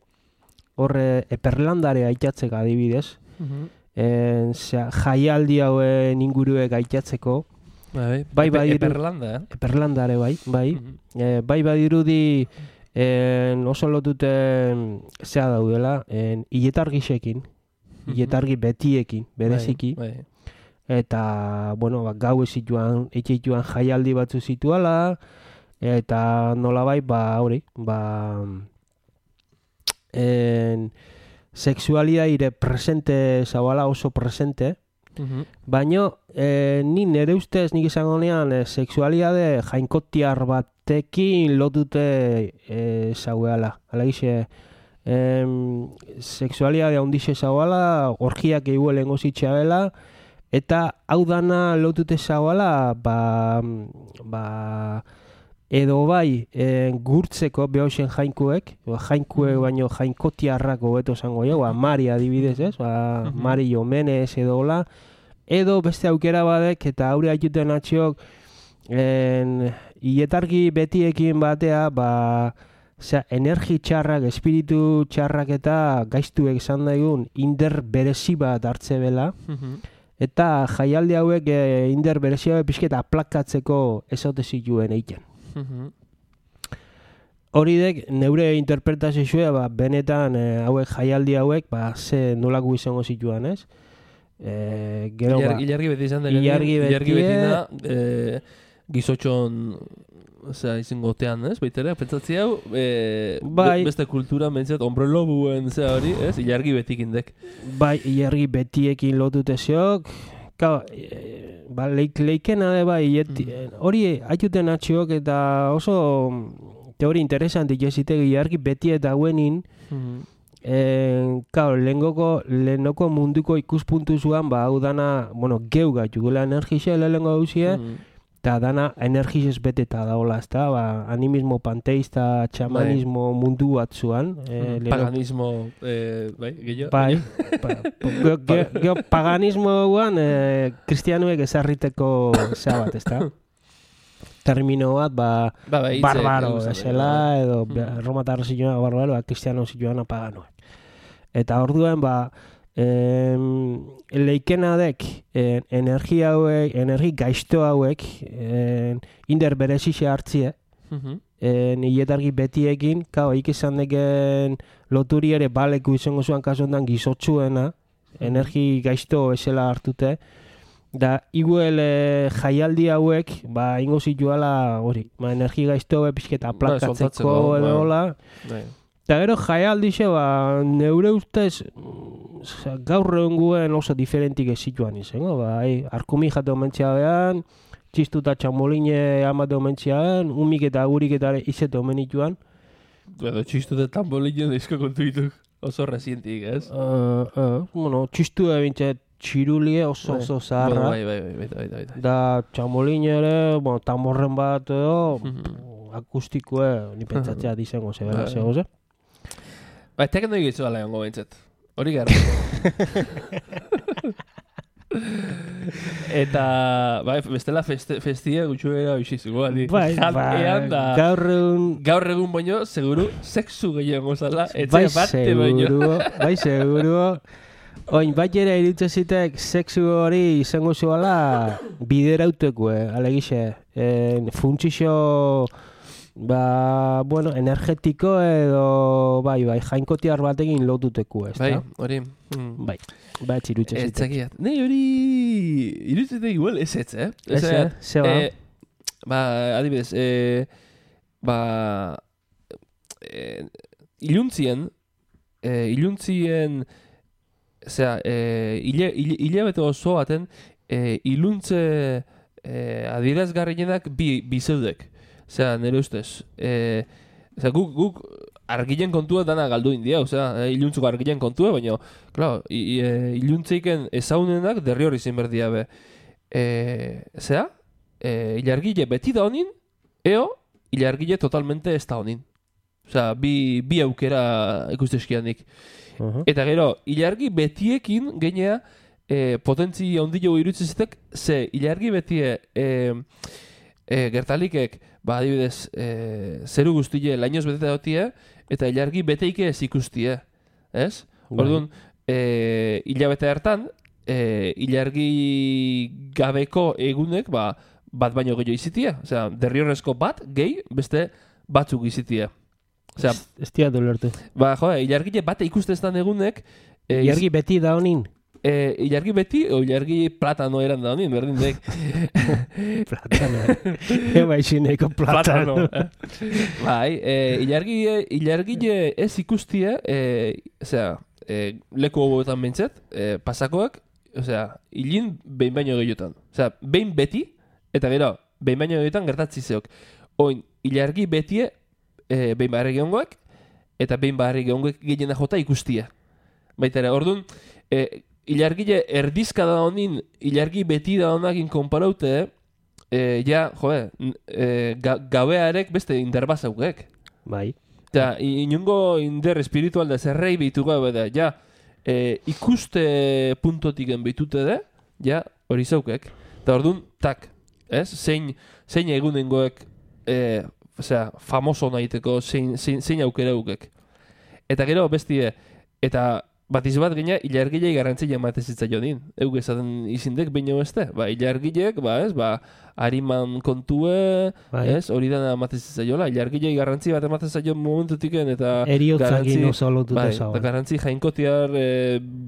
horre eperlandare aitatzek adibidez, Mhm. en, zera, jaialdi hauen inguruek aitatzeko, Bai, Bai, bai, Epe- iru- Eperlanda, eh? eperlandare bai, bai, Mhm. e, bai badirudi en, oso lotuten zea daudela, en, iletargisekin, iletargi betiekin, bereziki, Bai, bai. eta, bueno, ba, gau zituan, etxeituan jaialdi batzu zituala, eta nolabait, ba, hori, ba, en, sexualidade presente zabala oso presente, Mhm. baino, eh, ni nere ustez nik izango nean eh, sexualidade jainkotiar batekin lotute eh, zauela. Hala gize, em, sexualidade handixe zauela, orgiak eigu lehengo zitxabela, eta hau dana lotute zauela, ba, ba, edo bai e, gurtzeko behoxen jainkuek, ba, jainkuek baino jainkotiarrak hobeto esango jo, ba, Mari adibidez, ez? Ba, Mhm. Mari Jomenez edo hola, edo beste aukera badek eta aurre aituten atxiok en, ietargi betiekin batea, ba, osea, energi txarrak, espiritu txarrak eta gaiztuek izan daigun inder berezi bat hartze bela, Mhm. eta jaialdi hauek e, inder berezi hauek pixketa aplakatzeko ezote zituen egiten. Mhm. Hori dek, neure interpretazioa, ba, benetan e, hauek jaialdi hauek, ba, ze nolako izango zituen, ez? E, gero, Ilar, ba, ilargi beti izan da. ilargi Ilargi betie- beti da, eh, gizotxon, osea, izingotean, ez? Baitere, pentsatzi hau, eh, Bai. be- beste kultura mentzat, hombre lobuen, zea hori, ez? Ilargi betikindek. bai, ilargi betiekin lotute zeok, Ka, e, ba, leik, leikena de bai, ieti, hori haituten atxiok eta oso teori interesantik jesitegi ilargi beti eta hauenin, Mhm. Eh, claro, lehengoko, lehenoko munduko ikuspuntu zuan, ba, hau dana, bueno, geu gaitu gula energixe lehenko hauzie, Mhm. eta dana energizez beteta daola, ezta, ba, animismo panteista, txamanismo mundu bat zuan. Eh, leheno- Paganismo, eh, bai, gehiago. Bai, pa, ge, ge, ge, paganismo guan, eh, kristianuek ezarriteko zea bat, ezta? Termino bat, ba, Ba, bai, hitze- barbaro, esan esela, edo Mhm. romatar zioan barbaro, ba, kristiano zioan paganoek. Eta orduan, ba, em, leikena dek, en, energia hauek, energi gaizto hauek, en, inder berezixe hartzie, Mhm. en, ietargi betiekin, kao, ik izan deken loturi ere baleku izango zuan kasu honetan gizotzuena, energi gaizto esela hartute, da iguel e, jaialdi hauek, ba, ingo zituala hori, ba, energi gaizto hauek pixketa aplakatzeko soltatzeko, edo bai. hola. Bai. Eta gero jaialdixe, ba, neure ustez, mm, osea, gaur egun guen oso diferentik ez zituan izango, ba, hai, arkumi jate omentzia behan, txistu eta txamoline amate omentzia behan, umik eta gurik eta izete omenituan. Edo txistu da tambolinen dizko kontu dituk oso resientik, ez? Uh, uh, bueno, txistu ebintze txirulie oso oso zaharra. Bai, bai, bai, bai, bai, bai, bai. Da txamoline ere, bueno, tamborren bat edo, Mhm. akustikoe, ni pentsatzea dizango zebela, Bai. zego ze? Ba, teken doi gitzu ala jongo behintzat. Hori gara. Eta, bai, bestela feste, festia gutxuera biziz, igual. Bai, Jantean da... gaur egun, Gaur egun baino, seguru, sexu gehiago zala, etxe bai bate baino. seguru, bai seguru. Oin, bat ere iritze zitek sexu hori izango zuela biderauteku, eh, alegixe. En, funtsixo, ba, bueno, energetiko edo, bai, bai, jainkotiar batekin lotuteku, ez Bai, da? hori. Mm. Bai, bai, txirutze Ez zitek. zakiat. Nei hori... Irutzete igual ez ez, eh? Ez, eh? Ze ba? eh, ba, adibidez, eh, ba, e, iluntzien, e, iluntzien, osea, e, hile, hile, hilabete oso baten, e, iluntze e, adierazgarrienak bi, bi zeudek. Osea, nire ustez. E, osea, guk, guk argilen kontua dana galdu india, osea, e, iluntzuko argilen kontua, baina, claro, e, iluntzeiken ezaunenak derri hori zein berdia be. E, osea, e, ilargile beti da honin, eo, ilargile totalmente ez da honin. Osea, bi, bi aukera ikusteskianik. Uh-huh. Eta gero, ilargi betiekin genea e, potentzi ondilo irutzizetek, ze ilargi betie e, e, gertalikek, ba, adibidez, e, zeru guztile lainoz beteta dotie, eta ilargi beteike ez ikustie, ez? Orduan, e, hilabete hartan, e, ilargi gabeko egunek, ba, bat baino gehiago izitia. Osea, derriorrezko bat, gehi, beste batzuk izitia. Osea, ez dia dolertu. Ba, jo, ilargile bate ikusteztan egunek... E, ilargi beti da honin? E, ilargi beti, o ilargi platano eran da honin, berdin dek. Platano. Eba izineko platano. platano eh? Bai, e, ilargile, ilargile ez ikustie, e, osea, e, leku hoboetan bintzet, e, pasakoak, osea, hilin behin baino gehiotan. Osea, behin beti, eta gero, behin baino gehiotan gertatzi zeok. Oin, ilargi betie, E, behin baharri gehongoak, eta behin baharri gehongoak gehiena jota ikustia. Baita ere, orduan, e, ilargile erdizka da honin, ilargi beti da honakin konparaute, e, ja, joe, e, ga, gabearek beste inderbazaukek. Bai. Eta, inungo inder espiritual da zerrei behitu gabe da, ja, e, ikuste puntotiken behitute da, ja, hori zaukek. Eta orduan, tak, ez? Zein, zein egunengoek, e, osea, famoso nahiteko zein, zein, zein aukera eukek. Eta gero, bestie, eta bat izbat gina, ilargilei garrantzia ematezitza jonin. Euk esaten izindek baino beste. Ba, ilargileek, ba, ez, ba, hariman kontue, bai. Ez, hori dana ematezitza jola. Ilargilei garrantzia bat ematezitza joan momentutiken, eta eriotzagin oso lotuta bai, zau. Eta garrantzi jainkotiar e,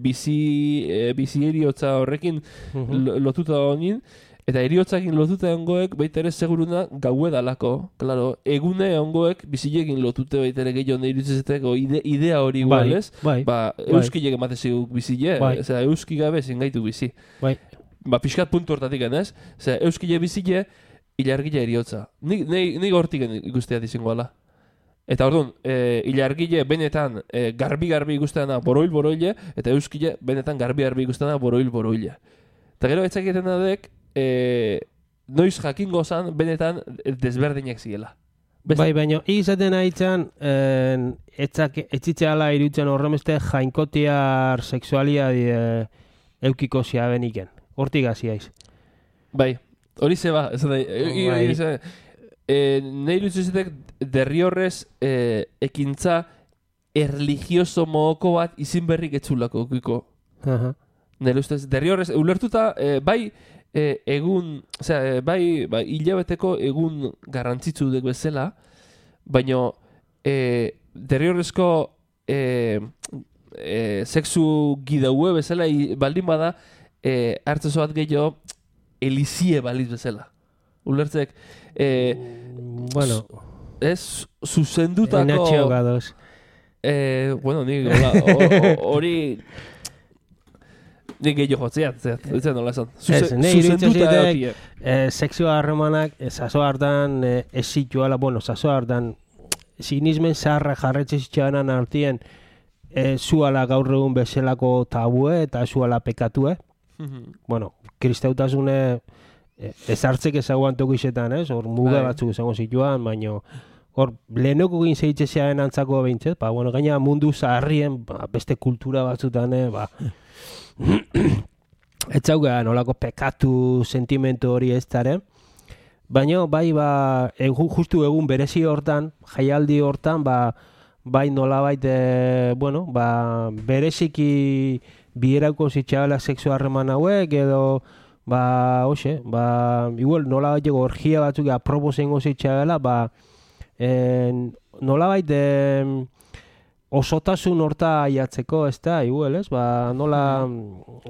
bizi, e, bizi eriotza horrekin uh-huh. lotuta honin. Eta eriotzakin lotuta ongoek baita ere seguruna gaue dalako. Claro, egune ongoek bizilekin lotute baita ere gehiago nahi irutzezeteko ide, idea hori igual, ez? Bai, ba, bai. euskilek emateziguk bizile, bai. Osea, euski gabe zingaitu bizi. Bai. Ba, pixkat puntu hortatik, ez? Osea, euskile bizile, ilargile eriotza. Nik, nik hortik ikustea dizingo ala. Eta orduan, e, ilargile benetan e, garbi-garbi ikusteana boroil-boroile, eta euskile benetan garbi-garbi ikusteana boroil-boroile. Eta gero, etzaketen adek, E, noiz jakingo zan, benetan desberdinak ziela. Best... Bai, baina, izaten haitzan, etxitzeala irutzen horremeste jainkotiar seksualia e, eukiko zia beniken. Hortik haziaiz. Bai, hori zeba. Bai. E, nahi irutzen derri horrez e, ekintza erligioso mohoko bat izin berrik etzulako eukiko. Uh-huh. Nahi ustez, derri horrez, ulertuta, e, bai, E, egun, osea, e, bai, bai, hilabeteko egun garrantzitsu dek bezala, baina e, derriorrezko e, e, sexu gidaue bezala i, baldin bada e, hartzezo bat gehiago elizie baliz bezala. Ulertzek, e, bueno, ez zuzendutako... Enatxeo gadoz. E, bueno, nik hori... Nik gehiago jotzea, ez nola esan. Zuzenduta egokia. Sexua harremanak, zazo hartan ez zituala, bueno, zazo hartan sinismen zaharra jarretxe zitxanan artien zuala gaur egun bezalako tabue eta zuala pekatue. Bueno, kristautasune ez hartzek ezaguan toku izetan, ez? Hor muga batzuk ezago zituan, baina hor lehenoko egin zeitzezearen antzako behintzet, ba, bueno, gaina mundu zaharrien, ba, beste kultura batzutan, ba, ez zauga nolako pekatu sentimentu hori ez dara, baina bai ba, egun, justu egun berezi hortan, jaialdi hortan, ba, bai nolabait, e, bueno, ba, bereziki bierauko zitxabela sexu harreman hauek, edo, ba, hoxe, ba, igual nolabait ego orgia batzuk apropo zengo zitxabela, ba, en, nolabait, e, osotasun horta aiatzeko, ez da, igual, ez? Ba, nola,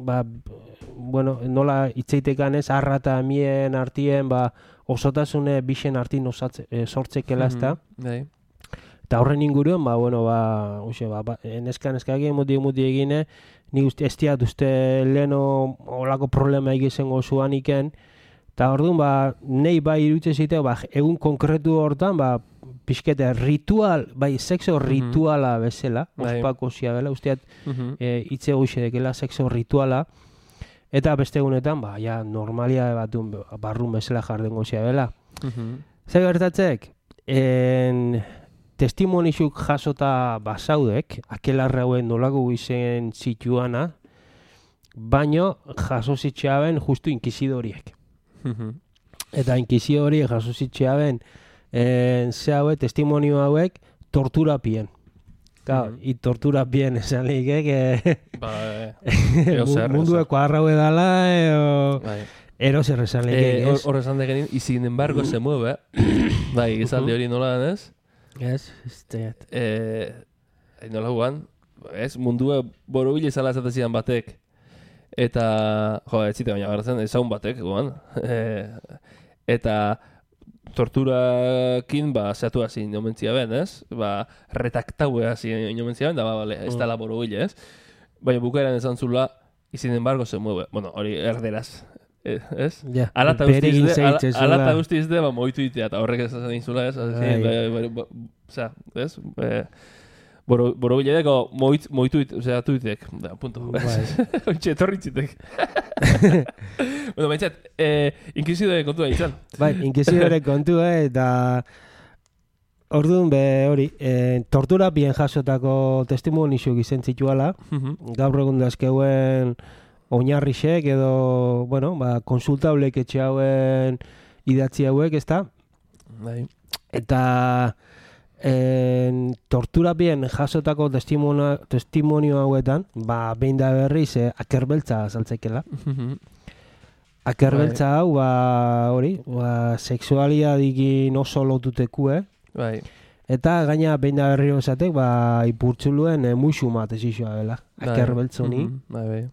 ba, bueno, nola itzeitekan ez, arra eta mien artien, ba, osotasune bixen artin osatze, e, sortzekela, ez da? Bai. Eta horren inguruen, ba, bueno, ba, uxe, ba, ba neska, neska egin, muti, muti egine, ni uste, ez diat uste leheno olako problema egizen gozuan iken, eta orduan, ba, nei bai irutze zitea, ba, egun konkretu hortan, ba, pixkete ritual, bai, sexo rituala bezala, ospako zia bela, usteat, e, itze goxe dekela sexo rituala, eta beste egunetan, ba, ja, normalia batun, barrun bezala jarden gozia bela. Zer gertatzek, en... testimonizuk jasota basaudek, akelarra hauen nolako izen zituana, baino jaso zitxeaben justu inkizidoriek. Eta inkizidoriek jaso zitxeaben ze hauek, testimonio hauek, torturapien. Claro, mm-hmm. I torturapien esan likek, eh, mundueko arraue dala, eo... Ero zer esan likek, ez? Hor esan degenin, y sin embargo se mueve, bai, esalde hori nola denez? Ez, ez teat. Eh, nola guan, ez, mundua borobile izala esatezian batek. Eta, jo, ez zite baina garatzen, ezaun batek, guan. Eh, eta torturakin, ba, zeatu hasi inomentzia ben, ez? Ba, retaktaue hasi inomentzia ben, da, ba, bale, ez dala borobile, ez? Baina bukaeran esan zula, y sin embargo se mueve. Bueno, hori erderaz. Ez? Ja, alata guzti izde, ba, moitu itea, eta horrek esan izula, ez? Osea, ez? Borobile deko moitu itea, osea, tuitek, da, punto. Ontxe, etorritzitek. Bueno, baintzat, inkizidore kontua izan. Bai, inkizidore kontua, eta orduan be hori, tortura bien jasotako testimonizuk izen zituala, gaur egun dazkeuen oinarrixek edo, bueno, ba, konsultablek etxe hauen idatzi hauek, ez da? Bai. Eta en, tortura bien jasotako testimonio, testimonio hauetan, ba, behin da berriz, eh, akerbeltza azaltzekela. Akerbeltza hau, ba, hori, ba, seksualiadikin oso lotutekue. Bai. Eta gaina behin da berri osatek, ba, ipurtzuluen eh, muixu mat ezizua dela. Akerbeltzoni. Bai, bai.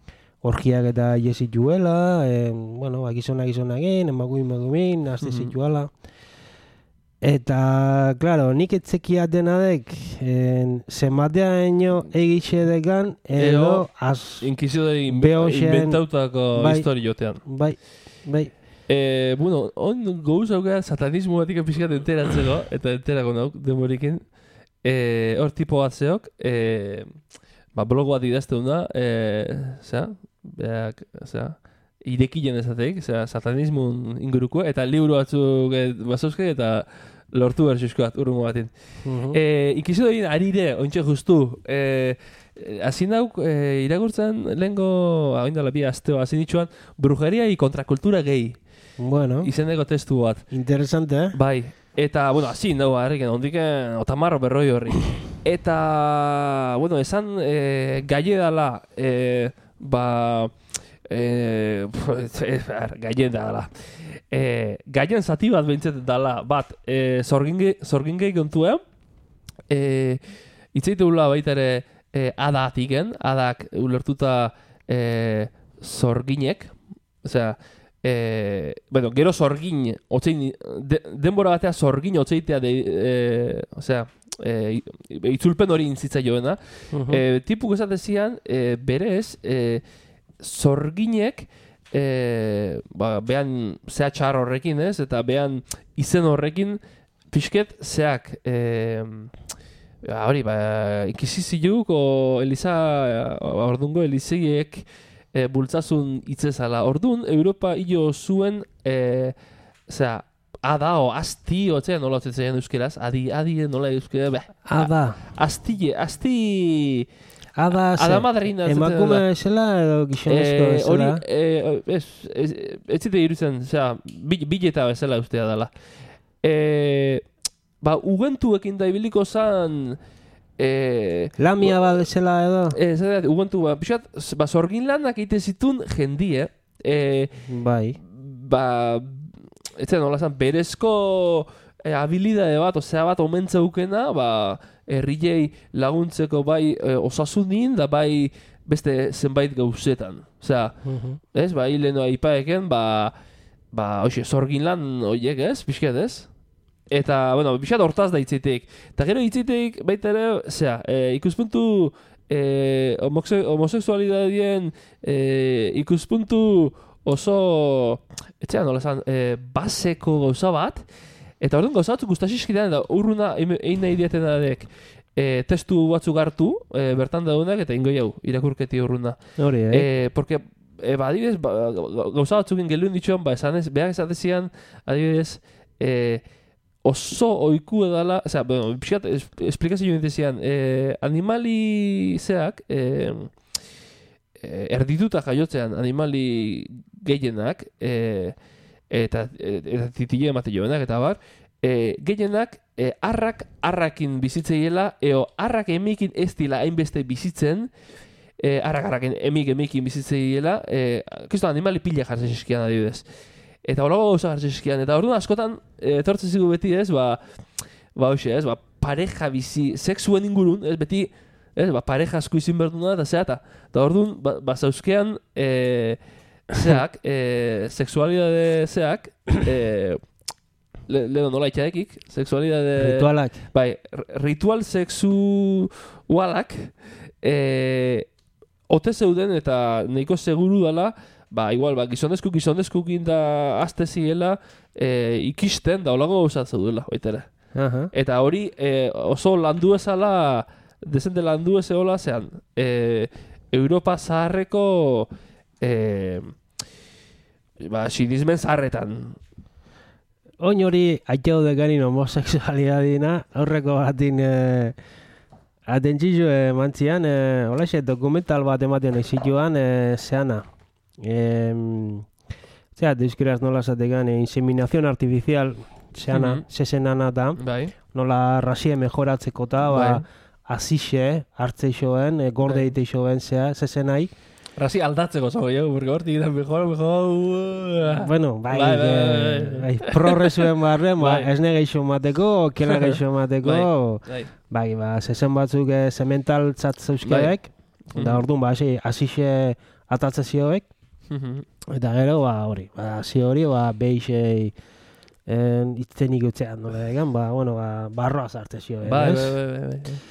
Orgiak eta jesit juela, eh, bueno, gizonak gizonagin, emaguin emagumin, azte mm-hmm. zituala. Eta, klaro, nik etzekia denadek, eh, zenbatea eno egitxe dekan, edo, az... Inkizidore inventautako bai, histori jotean. Bai, bai. Eh, bueno, on gauz aukera satanismo batik pixkat enteratzeko, eta enterako nauk, demorikin. Eh, hor tipo bat zeok, eh, ba, blog bat idazteun da, eh, zera, beak, zera, irekien ezateik, zera, satanismun inguruko, eta liburu batzuk e, bazauske, eta lortu berxusko bat, urrungo batin. Uh-huh. E, Ikizidoin arire, ointxe justu, e, hazin dauk, e, iragurtzen lehenko, hain dala bi azteo, hazin ditxuan, brujeria y kontrakultura gehi. Bueno. Izeneko testu bat. Interesante, eh? Bai. Eta, bueno, hazin dago, harriken, ondiken, otamarro berroi horri. Eta, bueno, esan e, gaie dala, e, ba, e, gaie dala. E, gaien zati bat behintzet dala, bat, e, zorgingei kontua, e, itzaiteula baita ere e, adatiken, adak ulertuta e, zorginek, osea, Eh, bueno, gero zorgin, otzein, de, denbora batea zorgin otzeitea, de, eh, osea, eh, itzulpen hori intzitza joena. Uh-huh. eh, tipuk esatezian, eh, berez, eh, zorginek, eh, ba, behan zea txar horrekin, ez? Eta behan izen horrekin, pixket zeak, eh, hori, ba, inkiziziluk, o Eliza, ordungo Eliziek, E, bultzazun itzezala. Orduan, Europa hilo zuen, e, zera, ada o asti, otzea nola otzetzen euskeraz, adi, adi nola euskera, beh. Ada. Asti, asti... Ada, ada madrina. Emakume esela edo gizonezko esela? Hori, e, ez, ez, ez zite irutzen, zera, bileta bezala ustea dela. E, ba, ugentuekin da ibiliko zan... Eh, Lamia bat bezala edo? Eh, zera, ugontu, ba, pixat, ba, zorgin lanak egiten zitun jendie. Eh, bai. Ba, ez zen, nola zan, berezko e, habilidade bat, osea bat omentzeukena, ba, herriei laguntzeko bai e, osasunin, da bai beste zenbait gauzetan. Osea, uh-huh. ez, ba, hileno aipaeken, ba, ba, hoxe, zorgin lan horiek, ez, pixket, ez? Eta, bueno, pixkat hortaz da hitzeiteik. Eta gero hitzeiteik, baita ere, zera, e, ikuspuntu e, homose, homoseksualidadien e, ikuspuntu oso, etxean, nola esan, e, baseko gauza bat, eta orduan gauza batzuk guztasiskidean, da urruna egin nahi diaten dadek, e, testu batzuk hartu, e, bertan daudenak, eta ingo jau, irakurketi urruna. Hori, eh? E, porque, e, ba, adibidez, ba, gauza batzukin geluen ditxoan, ba, esan ez, behar esatezian, adibidez, e, oso oiku edala, o sea, bueno, pixkat, esplikazio nintezian, eh, animali zeak, eh, erdituta jaiotzean animali gehienak, eh, eta, eta titile emate joanak, eta bar, eh, gehienak, eh, arrak, arrakin bizitzeiela, eo arrak emikin ez dila hainbeste bizitzen, eh, arrak, arrakin emik emikin bizitzeiela, eh, kisto animali pila jartzen eskian adibidez. Eta holago gauza gartzeskian, eta orduan askotan etortzen zigu beti, ez, ba, ba, hoxe, ez, ba, pareja bizi, sexuen ingurun, ez, beti, ez, ba, pareja asko izin behar duna, eta zeata. Eta orduan, ba, ba zauzkean, e, zeak, e, sexualidade zeak, e, le, leheno nola itxaekik, sexualidade... Ritualak. Bai, ritual sexualak, e, ote zeuden eta nahiko seguru dela, ba, igual, ba, gizonezku, gizonezkukin da azte ziela e, ikisten, da holago gauzat zeudela, baitera. Uh-huh. Eta hori e, oso landu ezala, dezente landu ez eola, zean, e, Europa zaharreko e, ba, sinismen zaharretan. Oin hori, aiteo deganin homoseksualidadina, aurreko batin e, atentzizio e, mantzian, e, holaxe, dokumental bat ematen egzituan, e, zeana. Eh, Zera, deuskeraz nola zategan, eh, inseminazion artificial zeana, mm-hmm. zezenana da, bai. Nola rasie mejoratzeko eta, ba, azixe, hartzeixoen, eh, gorde bai. Iteixoen, zea, zezenai. Rasi aldatzeko zago, jo, porque hortik da mejor, mejor... Bueno, bai, bai, bai, bai, bai. bai progresuen barren, ba, bai. Esne geixo mateko, kela geixo mateko, bai, bai, ba, zezen batzuk eh, zemental tzatzeuzkeek, bai. Da orduan, ba, azixe atatzezioek, eta gero, ba, hori, ba, zi hori, ba, beixei itzenik utzean, nola egan, ba, bueno, ba, barroa zartezio, eh, bai, bai, bai, bai.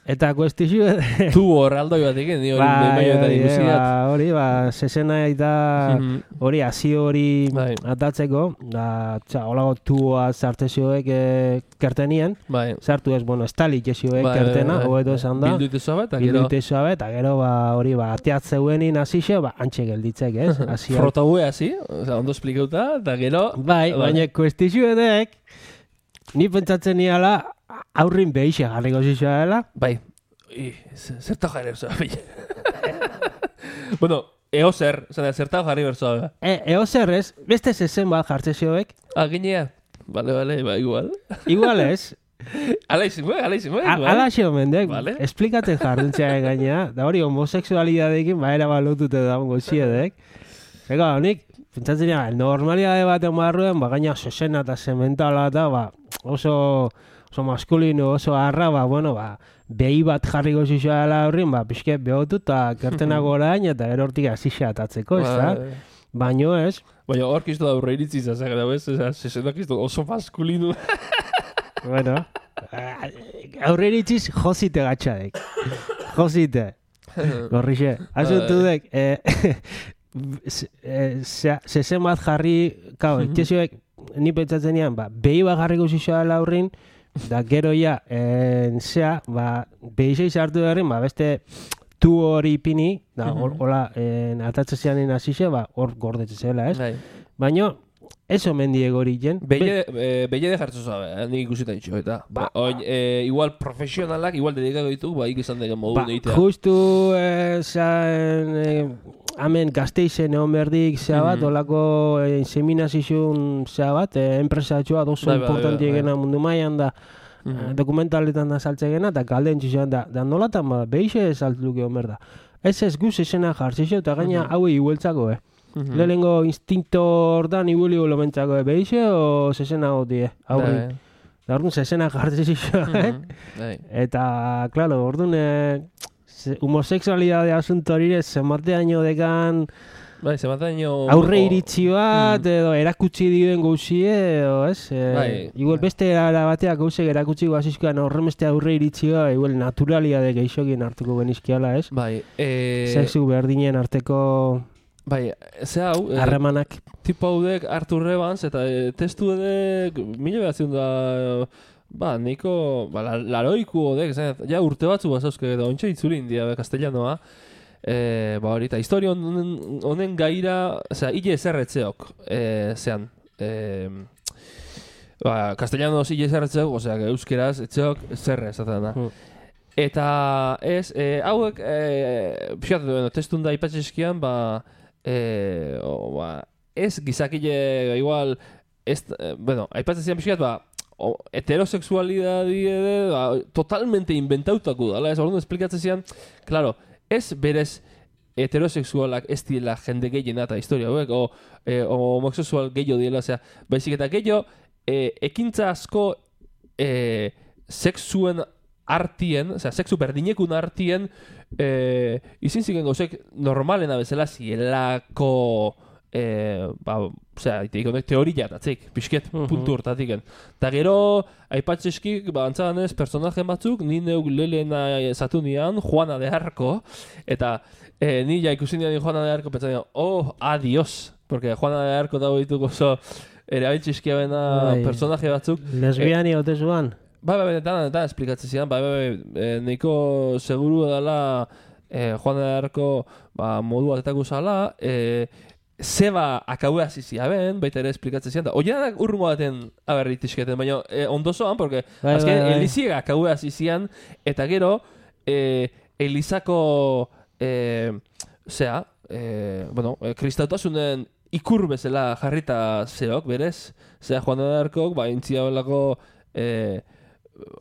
Eta kuestizio... Tu horraldoi bat egin, ni hori bebaioetan ikusiat. Ba, hori, ba, zezena eta hori, hazi hori atatzeko, da, txa, holago tuoa zartezioek eh, kertenien, bai. Zartu ez, bueno, estalik ezioek bai, kertena, bai, hobeto esan da. Bildu itezoa bet, eta gero... Bildu itezoa bet, eta gero, ba, hori, ba, ateatzeuenin hazixe, ba, antxe gelditzek, ez? Frotaue hazi, oza, ondo esplikauta, eta gero... Bai, baina kuestizio edek, ni pentsatzen niala, aurrin behixe jarriko zizua dela. Bai, zertau jarri berzoa. Bueno, eo zer, zertau jarri berzoa. E, eo zer ez, beste zezen bat jartzezioek. Ah, ginea. Bale, bale, ba, igual. Igual ez. Ala izin, bai, ala izin, bai. Ala xeo mendek, vale. Esplikatzen jarduntzea gainea. Da hori, homoseksualidadekin, ba, era balotute da ongo ziedek. Ega, honik, pentsatzen ja, normalidade baten barruen, ba, gaina zezena eta zementala eta, ba, oso... oso maskulino, oso harra, ba, bueno, ba, behi bat jarriko zizua dela horrin, ba, pixke behotu eta kertenago orain, eta gero hortik azizia atatzeko, ez da? Baino ez. Baina hor kistu da aurre iritzi zazak, da bez, zezenak kistu oso maskulino. Bueno, aurre iritziz jozite gatxadek. Jozite. Gorrixe. Asuntu dek, zezen bat jarri, kau, etxezioek, ni pentsatzen ean, ba, behi bat jarriko zizua dela horrin, da gero ja, en, zea, ba, behizei zartu derren, ba, beste tu hori ipini, da, hola, atatzezianen azize, ba, hor gordetzen zela, ez? Bai. Baina, ez omen diego hori jen. Beile de jartzu zabe, eh? Nik ikusita ditxo, eta. Ba, oin, e, igual profesionalak, igual dedikako ditu, ba, ikizan degen modu ba, negitea. Justu, e, zain, e, hemen gazteizen egon berdik zea bat, mm-hmm. olako e, inseminazizun zea bat, e, enpresatxoa dozu bai, importanti egena bai. Mundu maian da, mm-hmm. dokumentaletan da saltze egena, eta galden txizioan da, da nolatan, ba, behixe saltluke egon berda. Ez ez guz esena jartzizio, eta gaina mm-hmm. hauei igueltzako, eh? Mm-hmm. Lehenengo instinto ordan ibuli golo mentzako, eh? Behixe o zesena gotie, aurri? Da orduan zezena jartzen zizuen, Bai. eta, klaro, orduan eh, ze- homosexualidade asunto hori zenbateaino dekan Bai, zemataino... aurre iritzi bat, edo erakutsi dioen gauzie, edo, ez? E, Bai, igual bai. beste era bateak gauzek erakutsi guazizkoan horremeste aurre iritzi bat, igual naturalidade geixokien hartuko genizkiala, ez? Bai, eh... Sexu berdinen arteko Bai, ze hau... eh, harremanak. tipo haudek Artur Evans, eta e, testu edek mila behatzen da... Ba, niko... Ba, la- laroiku odek, zan, ja urte batzu bazauzke, edo ontsa itzuli india, be, castellanoa. E, ba hori, eta historia honen, honen gaira, osea, hile ezerretzeok, e, zean, e, ba, castellanoz hile ezerretzeok, osea, euskeraz, etzeok, zerre, esaten da. Hmm. Eta, ez, e, hauek, e, pixat, bueno, testun da ipatxeskian, ba, e, o, ba, ez gizakile, igual, ez, e, bueno, aipatzen zian pixat, ba, o, heterosexualidadi ere, ba, totalmente inventautako dala, ez, orduan esplikatzen zian, claro, ez berez heterosexualak ez diela jende gehiena eta historia hauek, o, e, o homosexual gehiago diela, osea, baizik eta gehiago, e, ekintza asko e, sexuen artien, osea, sexu berdinekun artien, e, izin ziren gauzek normalena bezala zielako, e, ba, osea, iteik honek teoria datzik, pixket puntu hortatik. Eta gero, aipatzeskik, ba, antzaganez, personaje batzuk, ni neuk lelena zatu nian, Juana de Arco, eta e, ni ja ikusi nian Juana de Arco, pentsa nian, oh, adios, porque Juana de Arco dago dituko oso erabiltzizkia bena Bai. personaje batzuk. Lesbiani ote zuan? Bai, bai, eta eta esplikatzen zidan, bai, bai, bai, e, nahiko seguru dela e, Juana de Arco ba, modu batetako zala, e, zeba akaua zizia ben, baita ere esplikatzen zidan, da, oianak urrungo baten aberritizketen, baina e, ondozoan, porque Bai, azken bai, bai. Eliziega akaua zizian, eta gero, e, Elizako, e, zea, e, bueno, e, kristautasunen ikur bezala jarrita zeok, berez, zea Juana de Arcok, ba, intzia belako, e,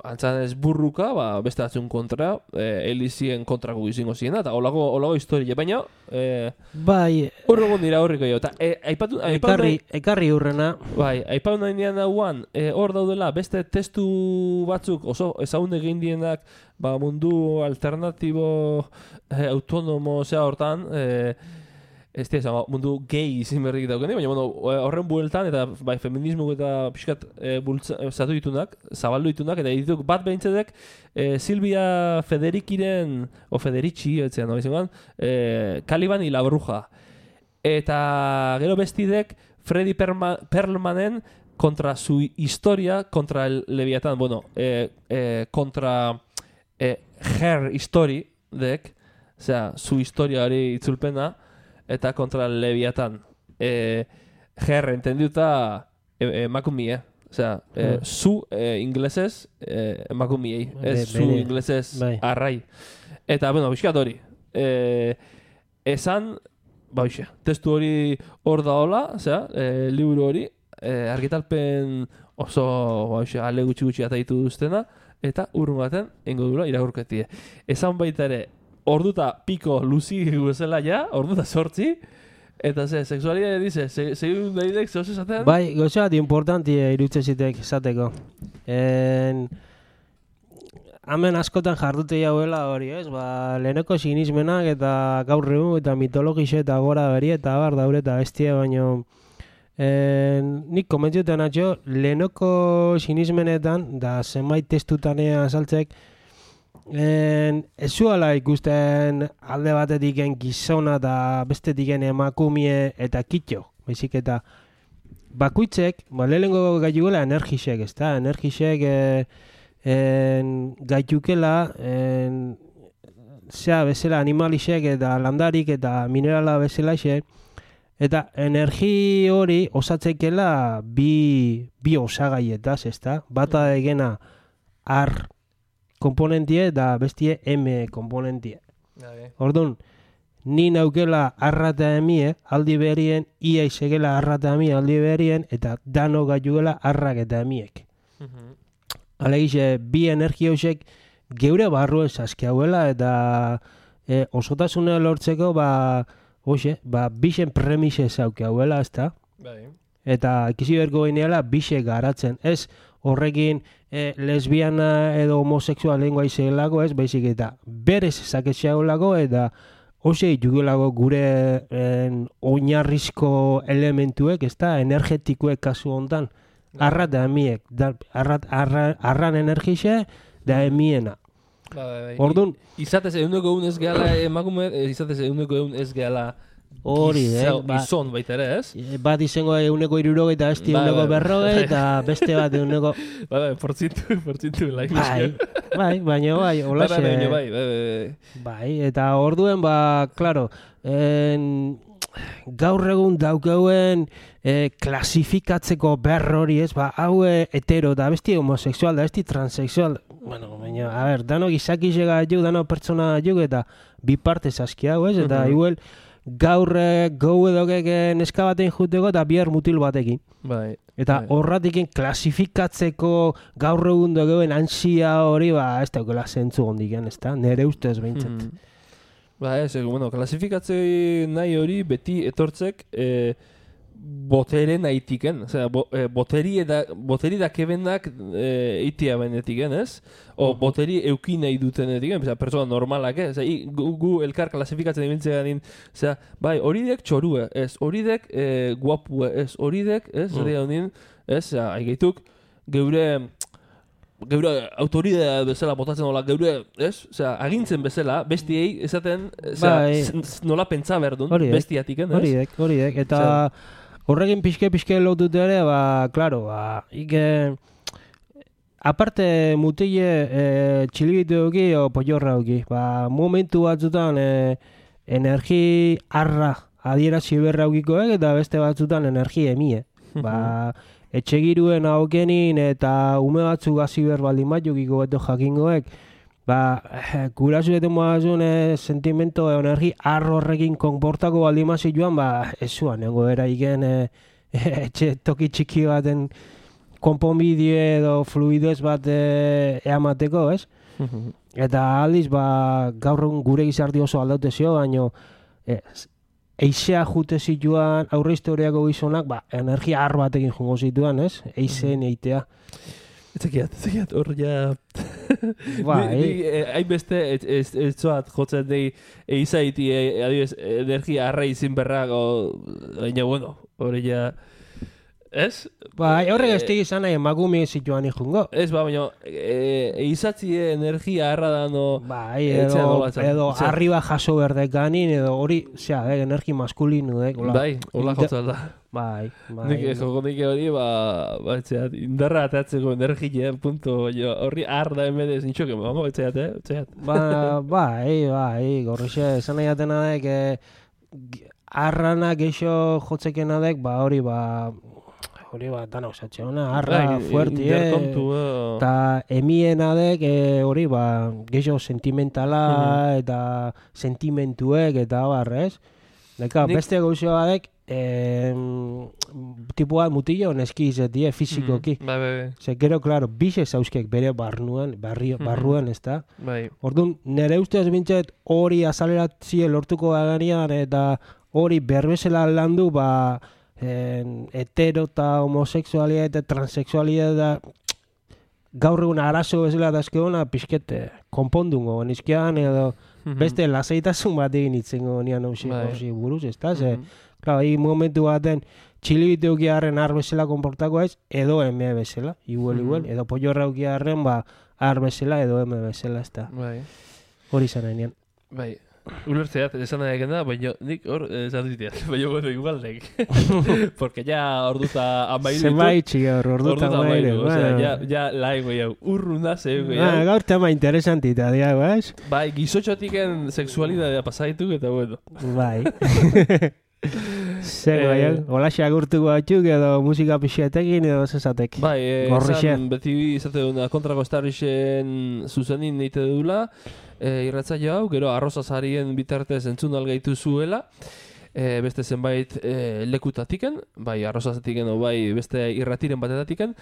antzanez burruka, ba, beste batzun kontra, e, Elizien kontrako izango ziena, eta olago, olago historia, baina, e, Bai, urrugun dira horriko jo, eta e, aipatu, aipatu ekarri, nahi, ekarri hurrena. bai, aipatu nahi nian hauan, e, hor daudela beste testu batzuk oso ezagun egin dienak, ba, mundu alternatibo, e, autonomo, zea hortan, e, ez dira, mundu gay izin berrik daukene, baina bueno, horren bueltan, eta bai, feminismo eta pixkat e, bultza, e, zatu ditunak, zabaldu ditunak, eta dituk bat behintzedek e, Silvia Federikiren, o Federici, etzean, no, izan, e, Caliban y la Bruja. Eta gero bestidek Freddy Perma, Perlmanen kontra su historia, kontra el Leviatán, bueno, e, e, kontra e, her history dek, osea, su historia hori itzulpena, eta kontra Leviatán. E, her entendiuta e, emakumie. Osea, e, Mm. zu e, inglesez e, emakumiei. Ez Be- zu bene. inglesez Bai. arrai. Eta, bueno, bizkat hori. E, esan, ba, bixe, testu hori hor da hola, osea, e, liburu hori, e, argitalpen oso, ba, bixe, ale gutxi gutxi ataitu duztena, eta urrun baten, ingo dura irakurketie. Esan baita ere, orduta piko luzi bezala ja, orduta sortzi, eta ze, sexualidade dice, segun daidek, zehoz esaten? Bai, gauza bat importantia irutze zitek esateko. En, hemen askotan jardute jauela hori, ez? Ba, leheneko sinismenak eta gaur egun eta mitologixe eta gora beri eta bar daure eta bestia, baino en, nik komentziuten atxo, lehenoko sinismenetan, da zenbait testutanea azaltzek, En, ez zuela ikusten alde batetiken gizona eta bestetiken emakumie eta kitxo, baizik eta bakuitzek, ba, lehenengo gaituela energisek, ez da, energisek e, en, gaitukela, en, zea bezala animalisek eta landarik eta minerala bezalaxe, eta energi hori osatzekela bi, bi osagaietaz, ez da, bata egena ar komponentie eta bestie M komponentie. Orduan, ni naukela arrata emie, aldi berien, ia izegela arrata emie aldi berien, eta dano gaiuela arrak eta emiek. Alegize, bi energia hoxek geure barruen saskiauela, eta e, osotasune lortzeko, ba, hoxe, ba, bixen premise zauke hauela, ez da? Bai. Eta ikisi berko gineala bixe garatzen. Ez horrekin e, lesbiana edo homosexual lengua izelako, ez, baizik eta berez zaketxeago eta Hose jugelago gure en, oinarrizko elementuek, ez da, energetikoek kasu hontan. Arrat da emiek, da, arrat, arra, arran energixe da emiena. Orduan, izatez eguneko egun ez gehala emakume, izatez eguneko egun ez gehala hori, eh? Ba, izon baita ere, ez? Bat izango eguneko irurogei eta besti eguneko berrogei eta beste bat eguneko... Bai, bai, portzintu, portzintu, laik. Bai, bai, baina bai, holaxe... Bai, bai, bai, bai, bai, eta orduen, ba, klaro, en, gaur egun daukauen eh, klasifikatzeko berrori, ez, ba, hau hetero da, besti homosexual da, besti transexual, bueno, baina, a ber, dano gizakizega juk, dano pertsona juk, eta bi partez aski hau, ez, eta uh-huh. igual... gaur gau edo neska batein juteko eta bihar mutil batekin. Bai. Eta bai. Horratikin klasifikatzeko gaur egun dogeuen ansia hori, ba, ez daukela zentzu hondiken, ez da? Nere ustez behintzat. Mm. Ba, ez, bueno, klasifikatzei nahi hori beti etortzek e, botere nahitiken, osea, bo, e, boteri eta boteri da kebenak e, itia benetiken, ez? O uh-huh. boteri euki nahi dutenetiken, osea, persona normalak, eh? Osea, gu, gu elkar klasifikatzen ibiltzea ganin, osea, bai, horidek txorue, ez? Horidek e, guapue, ez? Horidek, ez? Uh-huh. Zerri honin, ez? Osea, aigeituk, geure geure autoridea bezala botatzen nola, geure, ez? Osea, agintzen bezala, bestiei, esaten, osea, bai. Nola pentsa berdun, bestiatiken, ez? Horidek, horidek, eta... Osea, horrekin pixke-pixke lotut ere, ba, klaro, ba, ike... Aparte mutile e, txilibitu duki o pollorra duki. Ba, momentu batzutan e, energi arra adierazi berra dukikoek eta beste batzutan energi emie. Ba, etxegiruen aukenin eta ume batzu gazi berbaldin bat dukiko beto jakingoek. Ba, gurasu eten moazun e, sentimento e, energi arro horrekin konportako baldin mazi joan, ba, ez zuan, nengo era iken e, etxe toki txiki baten konponbideo edo fluidez bat e, eamateko, ez? Eta aldiz, ba, gaur egun gure gizarti oso aldaute zio, baino e, eizea jute zituan aurre historiako gizonak, ba, energia arro batekin jungo zituan, ez? Eizeen eitea. Etzekiat, etzekiat, hor ja... Bai. Hain beste, ez zoat jotzen dei eizaiti, adibes, energia arra izin berrako, baina, bueno, hori ja... Ez? Bai, horrek ez tegi izan nahi emakume zituan ikjungo. Ez, ba, baina, eizatzi energia arra dano... Bai, edo, edo arriba jaso berdekanin, edo hori, zera, eh, energi maskulinu, eh? Bai, hola jotzen da. Bai, bai. Nik joko nik hori, ba, ba, etxeat, indarra atatzeko energia, punto, jo, horri arda emedez nintxoke, bamo, etxeat, eh, etxeat. Ba, bai, bai, gorrixe, esan nahi atena dek, eh, arranak eixo jotzekena dek, ba, hori, ba, hori ba, dana osatxe hona, arra, fuerti, eh, eta emiena dek, eh, hori, ba, geixo sentimentala, mm-hmm. eta sentimentuek, eta barrez. Deka, Nik... beste gauzioa dek, Eh, tipua mutillo neski izetie fizikoki. Mm, bai, bai, bai. Ze gero, klaro, bixe zauzkek bere barruan, barri, barruan, ez da? Bai. Orduan, nire ustez bintzet hori azaleratzie lortuko daganean eta hori berbezela landu, ba, en, hetero eta homosexualia eta transexualia da gaur egun arazo bezala dazkeona pixkete konpondungo nizkian edo mm-hmm. beste lasaitasun bat egin itzengo nian hausi bai. Buruz, ez da? Ze, mm-hmm. Claro, hi momentu baten txilibite ukiarren ar bezala konportako ez, edo eme bezala, igual, mm-hmm. igual, edo pollorra ukiarren, ba, ar bezala, edo eme bezala, ez da. Bai. Hori zan hain. Bai. Ulertzeat, esan nahi eken da, baina nik hor, esan diteat, baina bueno, igual nek. Porque ya orduta amairu. Zenbait txik hor, orduta amairu. Osea, ya, ya lai goiau, urruna ze goiau. Ah, gaur tema interesantita, diago, ez? Bai, gizotxotiken sexualidadea pasaituk, eta bueno. Bai. Zer, bai, olaxea gurtuko batzuk edo musika pixetekin edo zezatek. Bai, esan beti izate duna kontrako estarrixen zuzenin neite dula, e, irratzaio hau, gero arrozazarien bitartez entzun algaitu zuela, e, beste zenbait e, lekutatiken, bai arrozazatiken o bai beste irratiren batetatiken,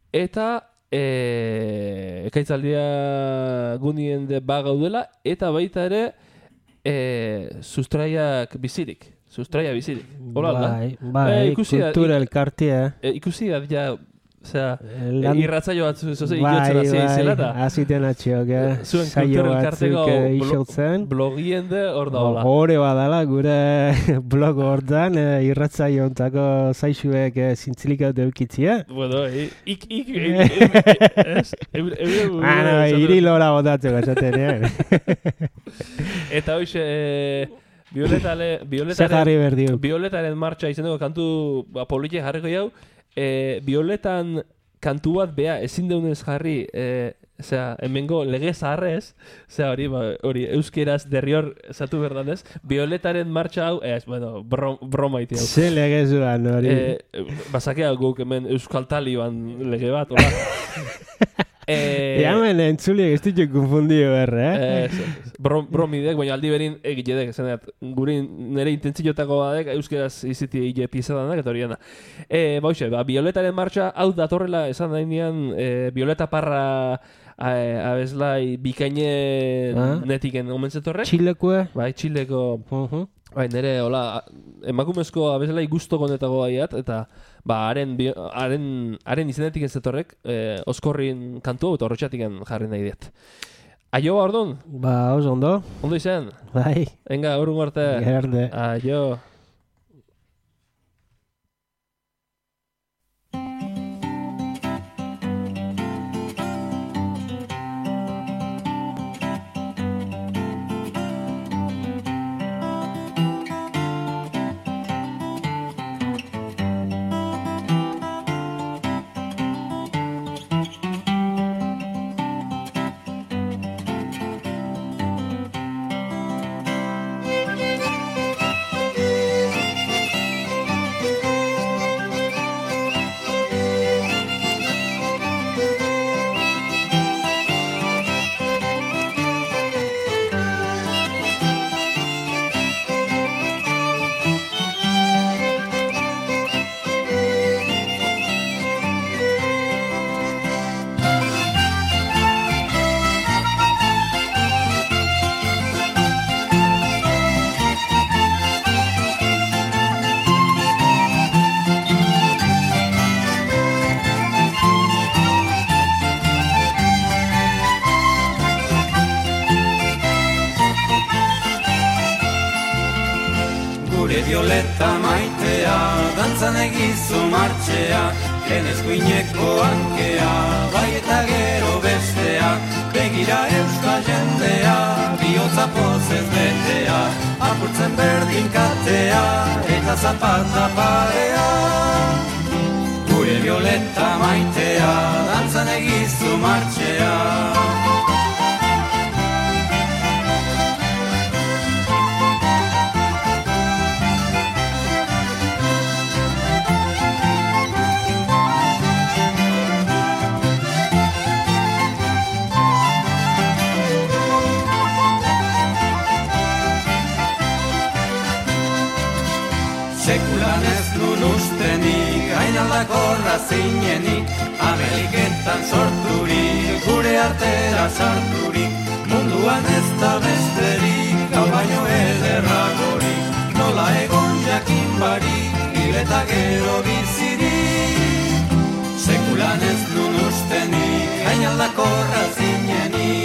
eta e, ekaitzaldia gunien de bagaudela, eta baita ere e, sustraiak bizirik. Sustraia bizirik. Hola, bai, bai, e, kultura elkartia. E, ikusi da, ja, Osea, Lan- irratzaio bat zoze iotzen hasi zela eta aziten atxiok, eh? zuen Saio kultur batzuk, elkarteko eh, blo- isotzen. blogien de hor da hola. Hore badala, gure blog hortan, eh, irratzaio ontako zaizuek eh, zintzilik haute eukitzia. Bueno, i- ik, ik, ez? Ah, no, hiri lora botatzeko esaten, eh? Eta hoxe, eh, Violetale, Zer Violetaren, jarri berdiu. Violetaren martxa izeneko kantu ba, polite jarriko jau, eh, Violetan kantu bat bea ezin deunez jarri, eh, osea, hemengo lege zaharrez, osea, hori, ba, hori, euskeraz derrior zatu berdanez, Violetaren martxa hau, ez, bueno, brom, broma iti hau. Ze legezuan hori. Eh, basakea guk hemen Euskal Taliban lege bat, hola. eh, Ja, hemen entzuliek ez ditu konfundio berre, eh? Eh, brom, bromidek, baina aldi berin egitedek, zeneat, guri nire intentziotako badek, euskeraz iziti hile pizadanak, eta hori da. E, bauxe, ba, Violetaren martxa, hau datorrela esan dainean, e, Violeta Parra a, abeslai bikaine Ah. netiken omentzetorrek. Txilekue? Bai, Txileko, Uh-huh. bai, nire, hola, emakumezko abeslai gusto konetago baiat, eta, ba, haren, bio- haren, haren izenetik zetorrek, e, oskorrin kantu hau, eta horretxatik jarri nahi diet. Aio, ordon, Ba, oso ondo. ondo izan? Bai, Venga, urrun arte. gerde. Aio. Gure Violeta maitea, dantzan egizu martxea, lehen eskuineko hankea, bai eta gero bestea, begira euskal jendea, bihotza pozez betea, apurtzen berdin katea, eta zapata parea. Gure Violeta maitea, dantzan egizu martxea. Sekulan ez nun ustenik, gainaldakorra zinenik, Ameriketan sorturik, gure artera sarturik, munduan ez da besterik, hau baino ederragorik, nola egon jakin barik, hil eta gero bizirik. Sekulan ez nun ustenik, gainaldakorra zinenik.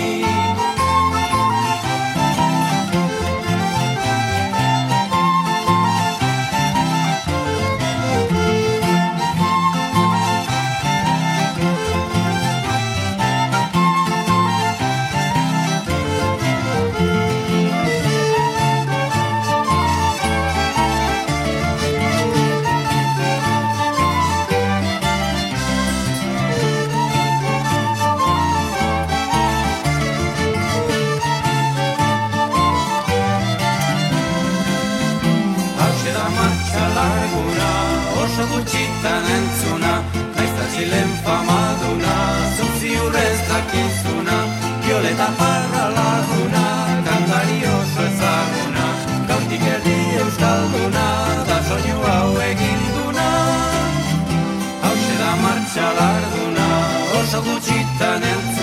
Oso gutxitan entzuna, naizta Txilen famaduna, zuzi urrez dakizuna, Violeta Parra laguna, kantari oso ezaguna, gaurtik erdi euskalduna, da soinu hau eginduna. Hauxe da martxa larduna, oso gutxitan entzuna,